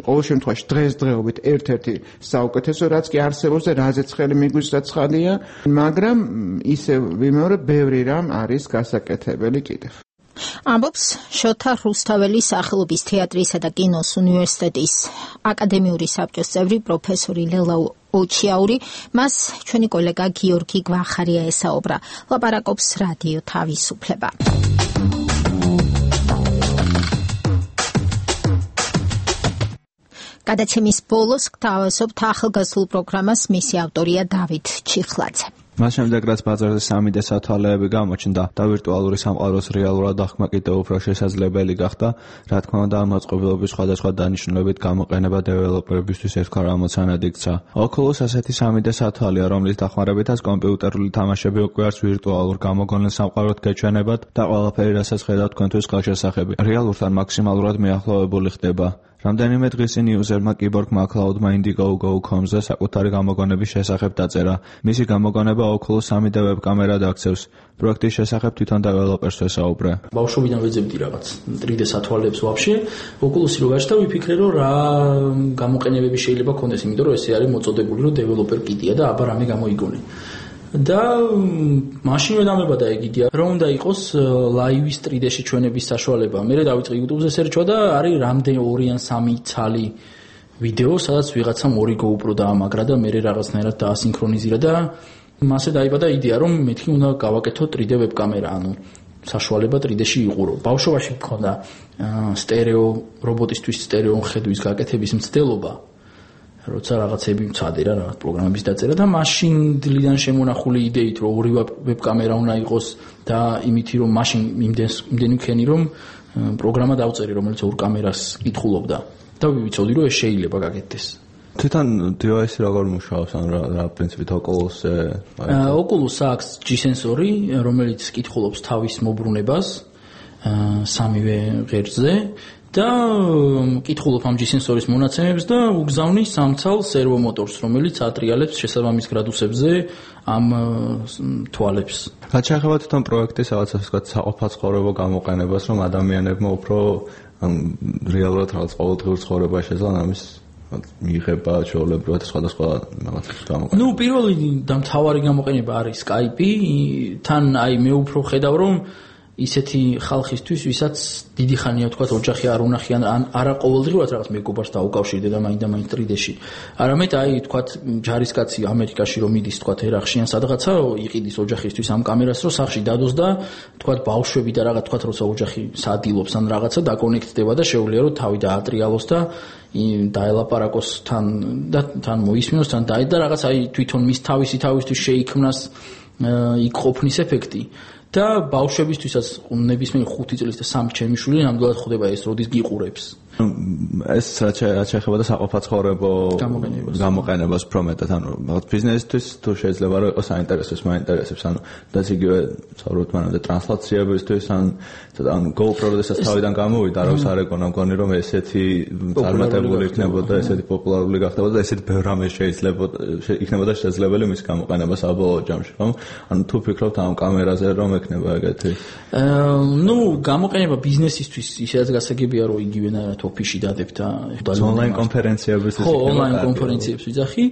ყოველ შემთხვევაში დღესდღეობით ერთ-ერთი საუკეთესო რაც კი არსებობს და რაზეც ხელი მიგვიწევს ცხადია, მაგრამ ისე ვიმეორე ბევრი რამ არის გასაკეთებელი კიდევ. ამბობს შოთა რუსთაველის სახელობის თეატრისა და კინოს უნივერსიტეტის აკადემიური საბჭოს წევრი პროფესორი ლელა ოჩიაური, მას ჩვენი კოლეგა გიორგი გვახარია ესაუბრა. ლაპარაკობს რადიო თავისუფლება. გადაცემის ბოლოს გთავაზობთ ახალგაზრდულ პროგრამას, მისი ავტორია დავით ჩიხლაძე. მას შემდეგ რაც ბაზარზე სამი დე სათვალეები გამოჩნდა და ვირტუალური სამყაროს რეალურად აღქმა კიდევ უფრო შესაძლებელი გახდა, რა თქმა უნდა ამ მოწყობილობის სხვადასხვა დანიშნულებით გამოყენება დეველოპერებისთვის ერთგვარ ამოცანად იქცა. Oculus ასეთი სამი დე სათვალეა, რომლის დახმარებითაც კომპიუტერული თამაშები უკვე არც ვირტუალურ გამოგონილ სამყაროდ გეჩვენებათ და ყველაფერი, რასაც ხედავთ თქვენთვის ხელშესახები, რეალურთან მაქსიმალურად მიახლოვებული ხდება. რამდენიმე დღის წინ იუზერმა კიბორგ McCloud-მა Indiegogo key dot com-ზე საკუთარი გამოგონების შესახებ დაწერა. მისი გამოგონება Oculus three D ვებკამერად აქცევს. პროექტის შესახებ თვითონ დეველოპერს ვესაუბრე. ბავშვობიდან ვეძებდი რაღაც three D სათვალებს ვაფშე. Oculus-ი რო გაჩნდა, ვიფიქრე რომ რა გამოყენებები შეიძლება ქონდეს, იმიტომ რომ ესე არის მოწოდებული რომ developer kit-ია და აბა რამე გამოიგონე. და მაშინვე დამებადა ეგ იდეა რომ უნდა იყოს live-ის three D-ში ჩვენების საშუალება. მე დავიწყე YouTube-ზე სერჩვა და არის რამდენი ორი ან სამი ცალი ვიდეო, სადაც ვიღაცამ ორი GoPro დაამაგრა და მე რაღაცნაირად დაასინქრონიზირა და მასე დაიბადა იდეა რომ მეთქი უნდა გავაკეთო three D ვებკამერა, ანუ საშუალება three D-ში იყურო. ბავშვობაში მქონდა სტერეო რობოტისთვის სტერეო ხედვის გაკეთების მცდელობა. როცა რაღაცები მცადე რა, რაღაც პროგრამების დაწერა და მაშინ დილიდან შემონახული იდეით რომ ორი ვებკამერა უნდა იყოს და იმითი რომ მაშინ იმდენს იმდენი მქენი რომ პროგრამა დავწერე რომელიც ორ კამერას კითხულობდა და ვიცოდი რომ ეს შეიძლება გაკეთდეს. თვითონ device როგორ მუშაობს, ან რა რა პრინციპით Oculus-ზე? Oculus აქვს G სენსორი, რომელიც კითხულობს თავის მობრუნებას სამივე ღერძზე და კითხულობ ამ G სენსორის მონაცემებს და უგზავნის სამცალ სერვო მოტორს, რომელიც ატრიალებს შესაბამის გრადუსებზე ამ თვალებს. რაც შეეხება თვითონ პროექტის რაღაცას ვთქვათ საყოფაცხოვრებო გამოყენებას, რომ ადამიანებმა უფრო რეალურად რაღაც ყოველდღიურ ცხოვრებაში შეძლან ამის მიიღება ჩვეულებრივად სხვადასხვა რაღაცებს გამოყენება. ნუ პირველი და მთავარი გამოყენება არის Skype-ი, თან აი მე უფრო ხედავ რომ ისეთი ხალხისთვის, ვისაც დიდი ხანია თქვა ოჯახი არ უნახიან, ან არა ყოველდღიურად რაღაც მეგობარს დაუკავშირდება მაინც და მაინც three D-ში. არამედ აი თქვა ჯარისკაცი ამერიკაში რომ მიდის თქვა ერახში ან სადღაცა იყიდის ოჯახისთვის ამ კამერას რომ სახში დადოს და თქვა ბავშვები და რაღაც თქვა როცა ოჯახი სადილობს ან რაღაცა დაკონექტდება და შეუძლია რომ თავი დაატრიალოს და დაელაპარაკოს თან და თან მოისმინოს თან და და რაღაც აი თვითონ მის თავისი თავისთვის შეიქმნას იქ ყოფნის ეფექტი. და ბავშვებისთვისაც ნებისმიერ ხუთი წლის და სამი ჩემი შვილი ნამდვილად ხვდება ეს როდის გიყურებს. ეს რაც შეეხება და საყოფაცხოვრებო გამოყენებას უფრო მეტად, ანუ რაღაც ბიზნესისთვის თუ შეიძლება რომ იყოს საინტერესოს, მაინტერესებს, ანუ და იგივე ცხოვრობთ მანამდე ტრანსლაციებისთვის, ან ან GoPro-დესაც თავიდან გამოვიდა, არავის არ ეკონა, მგონი რომ ესეთი წარმატებული იქნებოდა, ესეთი პოპულარული გახდებოდა და ესეთი ბევრ რამე შეიძლება იქნებოდა შესაძლებელი მის გამოყენება საბოლოო ჯამში, ხო? ანუ თუ ფიქრობთ ამ კამერაზე რომ ექნება ეგეთი? ნუ გამოყენება ბიზნესისთვის ისედაც გასაგებია რომ იგივენაირად ოფისში დადებთ და ონლაინ კონფერენციების ხო, ონლაინ კონფერენციებს ვიძახი,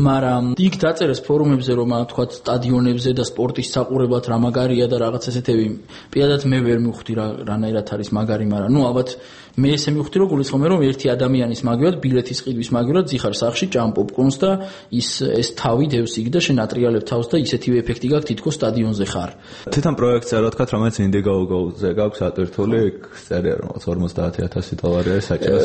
მაგრამ იქ დაწერეს ფორუმებზე რომ თქვა სტადიონებზე და სპორტის საყურებლად რა მაგარია და რაღაც ესეთები. პირადად მე ვერ მივხვდი რა რანაირად არის მაგარი, მაგრამ ნუ ალბათ მე ესე მივხვდი რომ გულისხმობ რომ ერთი ადამიანის მაგივრად ბილეთის ყიდვის მაგივრად ძიხარ სახში ჭამ პოპკორნს და ის ეს თავი დევს იქ და შენ ატრიალებ თავს და ისეთივე ეფექტი გაქვს თითქოს სტადიონზე ხარ. თვითონ პროექტზე რა თქვა, რომელიც Indiegogo-ზე გაქვს ატვირთული, იქ წერია რომ ორმოცდაათი ათასი დოლარი არის საჭირო.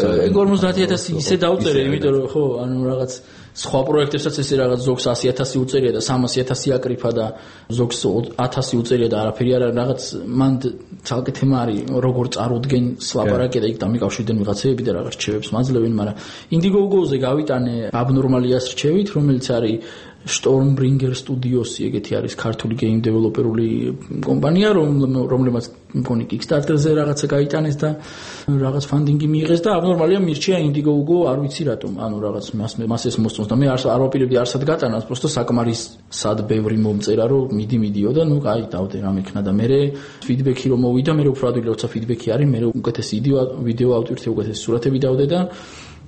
ორმოცდაათი ათასი ისე დავწერე, იმიტომ რომ ხო, ანუ რაღაც სხვა პროექტებსაც ესე რაღაც ზოგს ასი ათასი უწერია და სამასი ათასი აკრიფა და ზოგს ათასი უწერია და არაფერი არ არის, რაღაც მან ცალკე თემა არის, როგორ წარუდგენ ლაპარაკი და იქ დამიკავშირდნენ ვიღაცები და რაღაც რჩევებს მაძლევენ, მაგრამ Indiegogo-ზე გავიტანე აბნორმალიას რჩევით, რომელიც არის Stormbringer Studios-ი, ეგეთი არის ქართული game developer-ული კომპანია, რომლებმაც მგონი Kickstarter-ზე რაღაცა გაიტანეს და რაღაც ფანდინგი მიიღეს და აბნორმალია მირჩია Indiegogo, არ ვიცი რატომ, ანუ რაღაც მას ეს მოსწონს და მე არ არ ვაპირებდი არსად გატანას, просто საკმარისად ბევრი მომწერა, რომ მიდი მიდიო და ნუ აი დავდე რამ იქნა და მე ფიდბექი რომ მოვიდა, მე უფრო ადვილი როცა ფიდბექი არის, მე უკეთესი ვიდეო ავტვირთე, უკეთესი სურათები დავდე და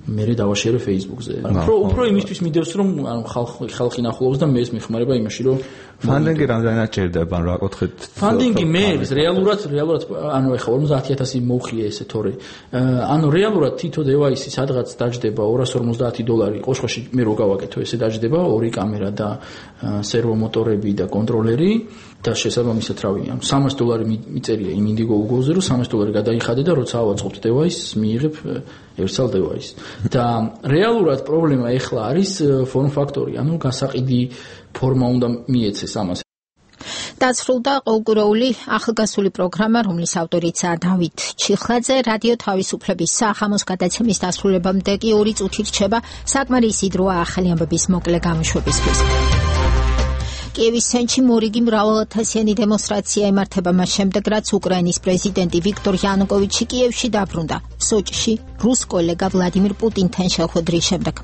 მე დავაშერე Facebook-ზე. უფრო უფრო იმისთვის მიდევს რომ ანუ ხალხი ხალხი ნახულობს და მე ეს მიხმარება იმაში რომ ფანდინგი რამდენად ჭირდება, ან რა კუთხით? ფანდინგი მე რეალურად რეალურად ანუ ეხლა ორმოცდაათი ათასი მოვხია ესე თორე. ანუ რეალურად თითო დევაისი სადღაც დაჯდება ორას ორმოცდაათი დოლარი, ყოშყოში მე რო გავაკეთო ესე დაჯდება ორი კამერა და სერვო მოტორები და კონტროლერი და შესაბამისად რავი, ანუ სამას დოლარი მიწერია იმ Indiegogo-ზე, რომ სამას დოლარი გადაიხადე და როცა ავაწყობთ დევაისს, მიიღებ ერთსალ დევაისს. და რეალურად პრობლემა ეხლა არის form factor-ი, ანუ გასაყიდი ფორმა უნდა მიეცეს ამას. დასრულდა ყოველკვირეული ახალგაზრდული პროგრამა, რომლის ავტორიცაა დავით ჩიხლაძე. რადიო თავისუფლების სახამოს გადაცემის დასრულებამდე კი ორი წუთი რჩება საკმარისი დროა ახალი ამბების მოკლე გამოშვებისთვის. კიევის ცენტრში მორიგი მრავალათასიანი დემონსტრაცია იმართება მას შემდეგ, რაც უკრაინის პრეზიდენტი ვიქტორ იანუკოვიჩი კიევში დაბრუნდა, სოჭში რუს კოლეგა ვლადიმირ პუტინთან შეხვედრის შემდეგ.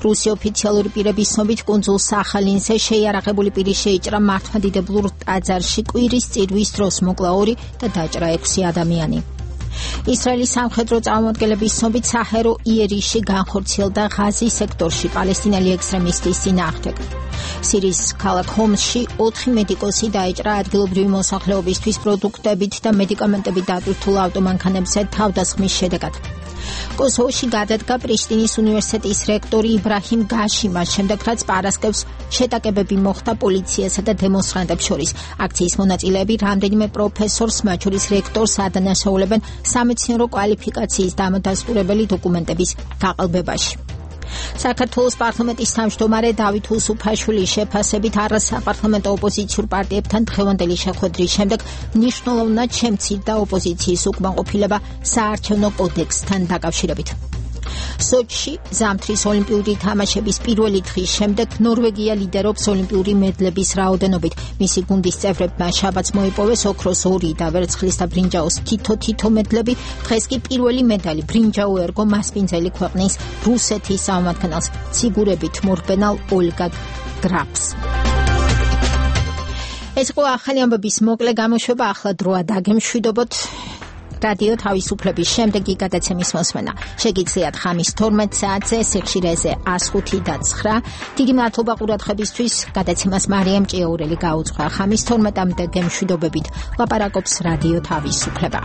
რუსი ოფიციალური პირების ცნობით კუნძულ სახალინზე შეიარაღებული პირი შეიჭრა მართლმადიდებლურ ტაძარში კვირის წირვის დროს მოკლა ორი და დაჭრა ექვსი ადამიანი. ისრაელის სამხედრო წარმომადგენლების ცნობით საჰერო იერიში განხორციელდა ღაზის სექტორში პალესტინელი ექსტრემისტის წინააღმდეგ. სირიის ქალაქ ჰომსში ოთხი მედიკოსი დაეჭრა ადგილობრივი მოსახლეობისთვის პროდუქტებით და მედიკამენტებით დატვირთულ ავტომანქანებზე თავდასხმის შედეგად. კოსოვოში გადადგა პრიშტინის უნივერსიტეტის რექტორი იბრაჰიმ გაში მას შემდეგ, რაც პარასკევს შეტაკებები მოხდა პოლიციასა და დემონსტრანტებს შორის. აქციის მონაწილეები რამდენიმე პროფესორს, მათ შორის რექტორს ადანაშაულებენ სამეცნიერო კვალიფიკაციის დამადასტურებელი დოკუმენტების გაყალბებაში. საქართველოს პარლამენტის თავმჯდომარე დავით უსუფაშვილის შეფასებით არასაპარლამენტო ოპოზიციურ პარტიებთან დღევანდელი შეხვედრის შემდეგ მნიშვნელოვნად შემცირდა ოპოზიციის უკმაყოფილება საარჩევნო კოდექსთან დაკავშირებით. სოჩში ზამთრის ოლიმპიური თამაშების პირველი დღის შემდეგ ნორვეგია ლიდერობს ოლიმპიური მედლების რაოდენობით. მისი გუნდის წევრებმა შაბათს მოიპოვეს ოქროს ორი და ვერცხლის და ბრინჯაოს თითო-თითო მედლები. დღეს კი პირველი მედალი ბრინჯაო ერგო მასპინძელი ქვეყნის რუსეთის წარმომადგენელს ციგურებით მორბენალ ოლგა გრაფს. ეს იყო ახალი ამბების მოკლე გამოშვება. ახლა დროა დაგემშვიდობოთ რადიო თავისუფლების შემდეგი გადაცემის მოსმენა. შეგიძლიათ ხამის თორმეტ საათზე სიხშირეზე ას ხუთი და ცხრა. დიდი მადლობა ყურადღებისთვის. გადაცემას მარიამ ჭიაურელი გაუძღვა. ხამის თორმეტამდე გემშვიდობებით. ლაპარაკობს რადიო თავისუფლება.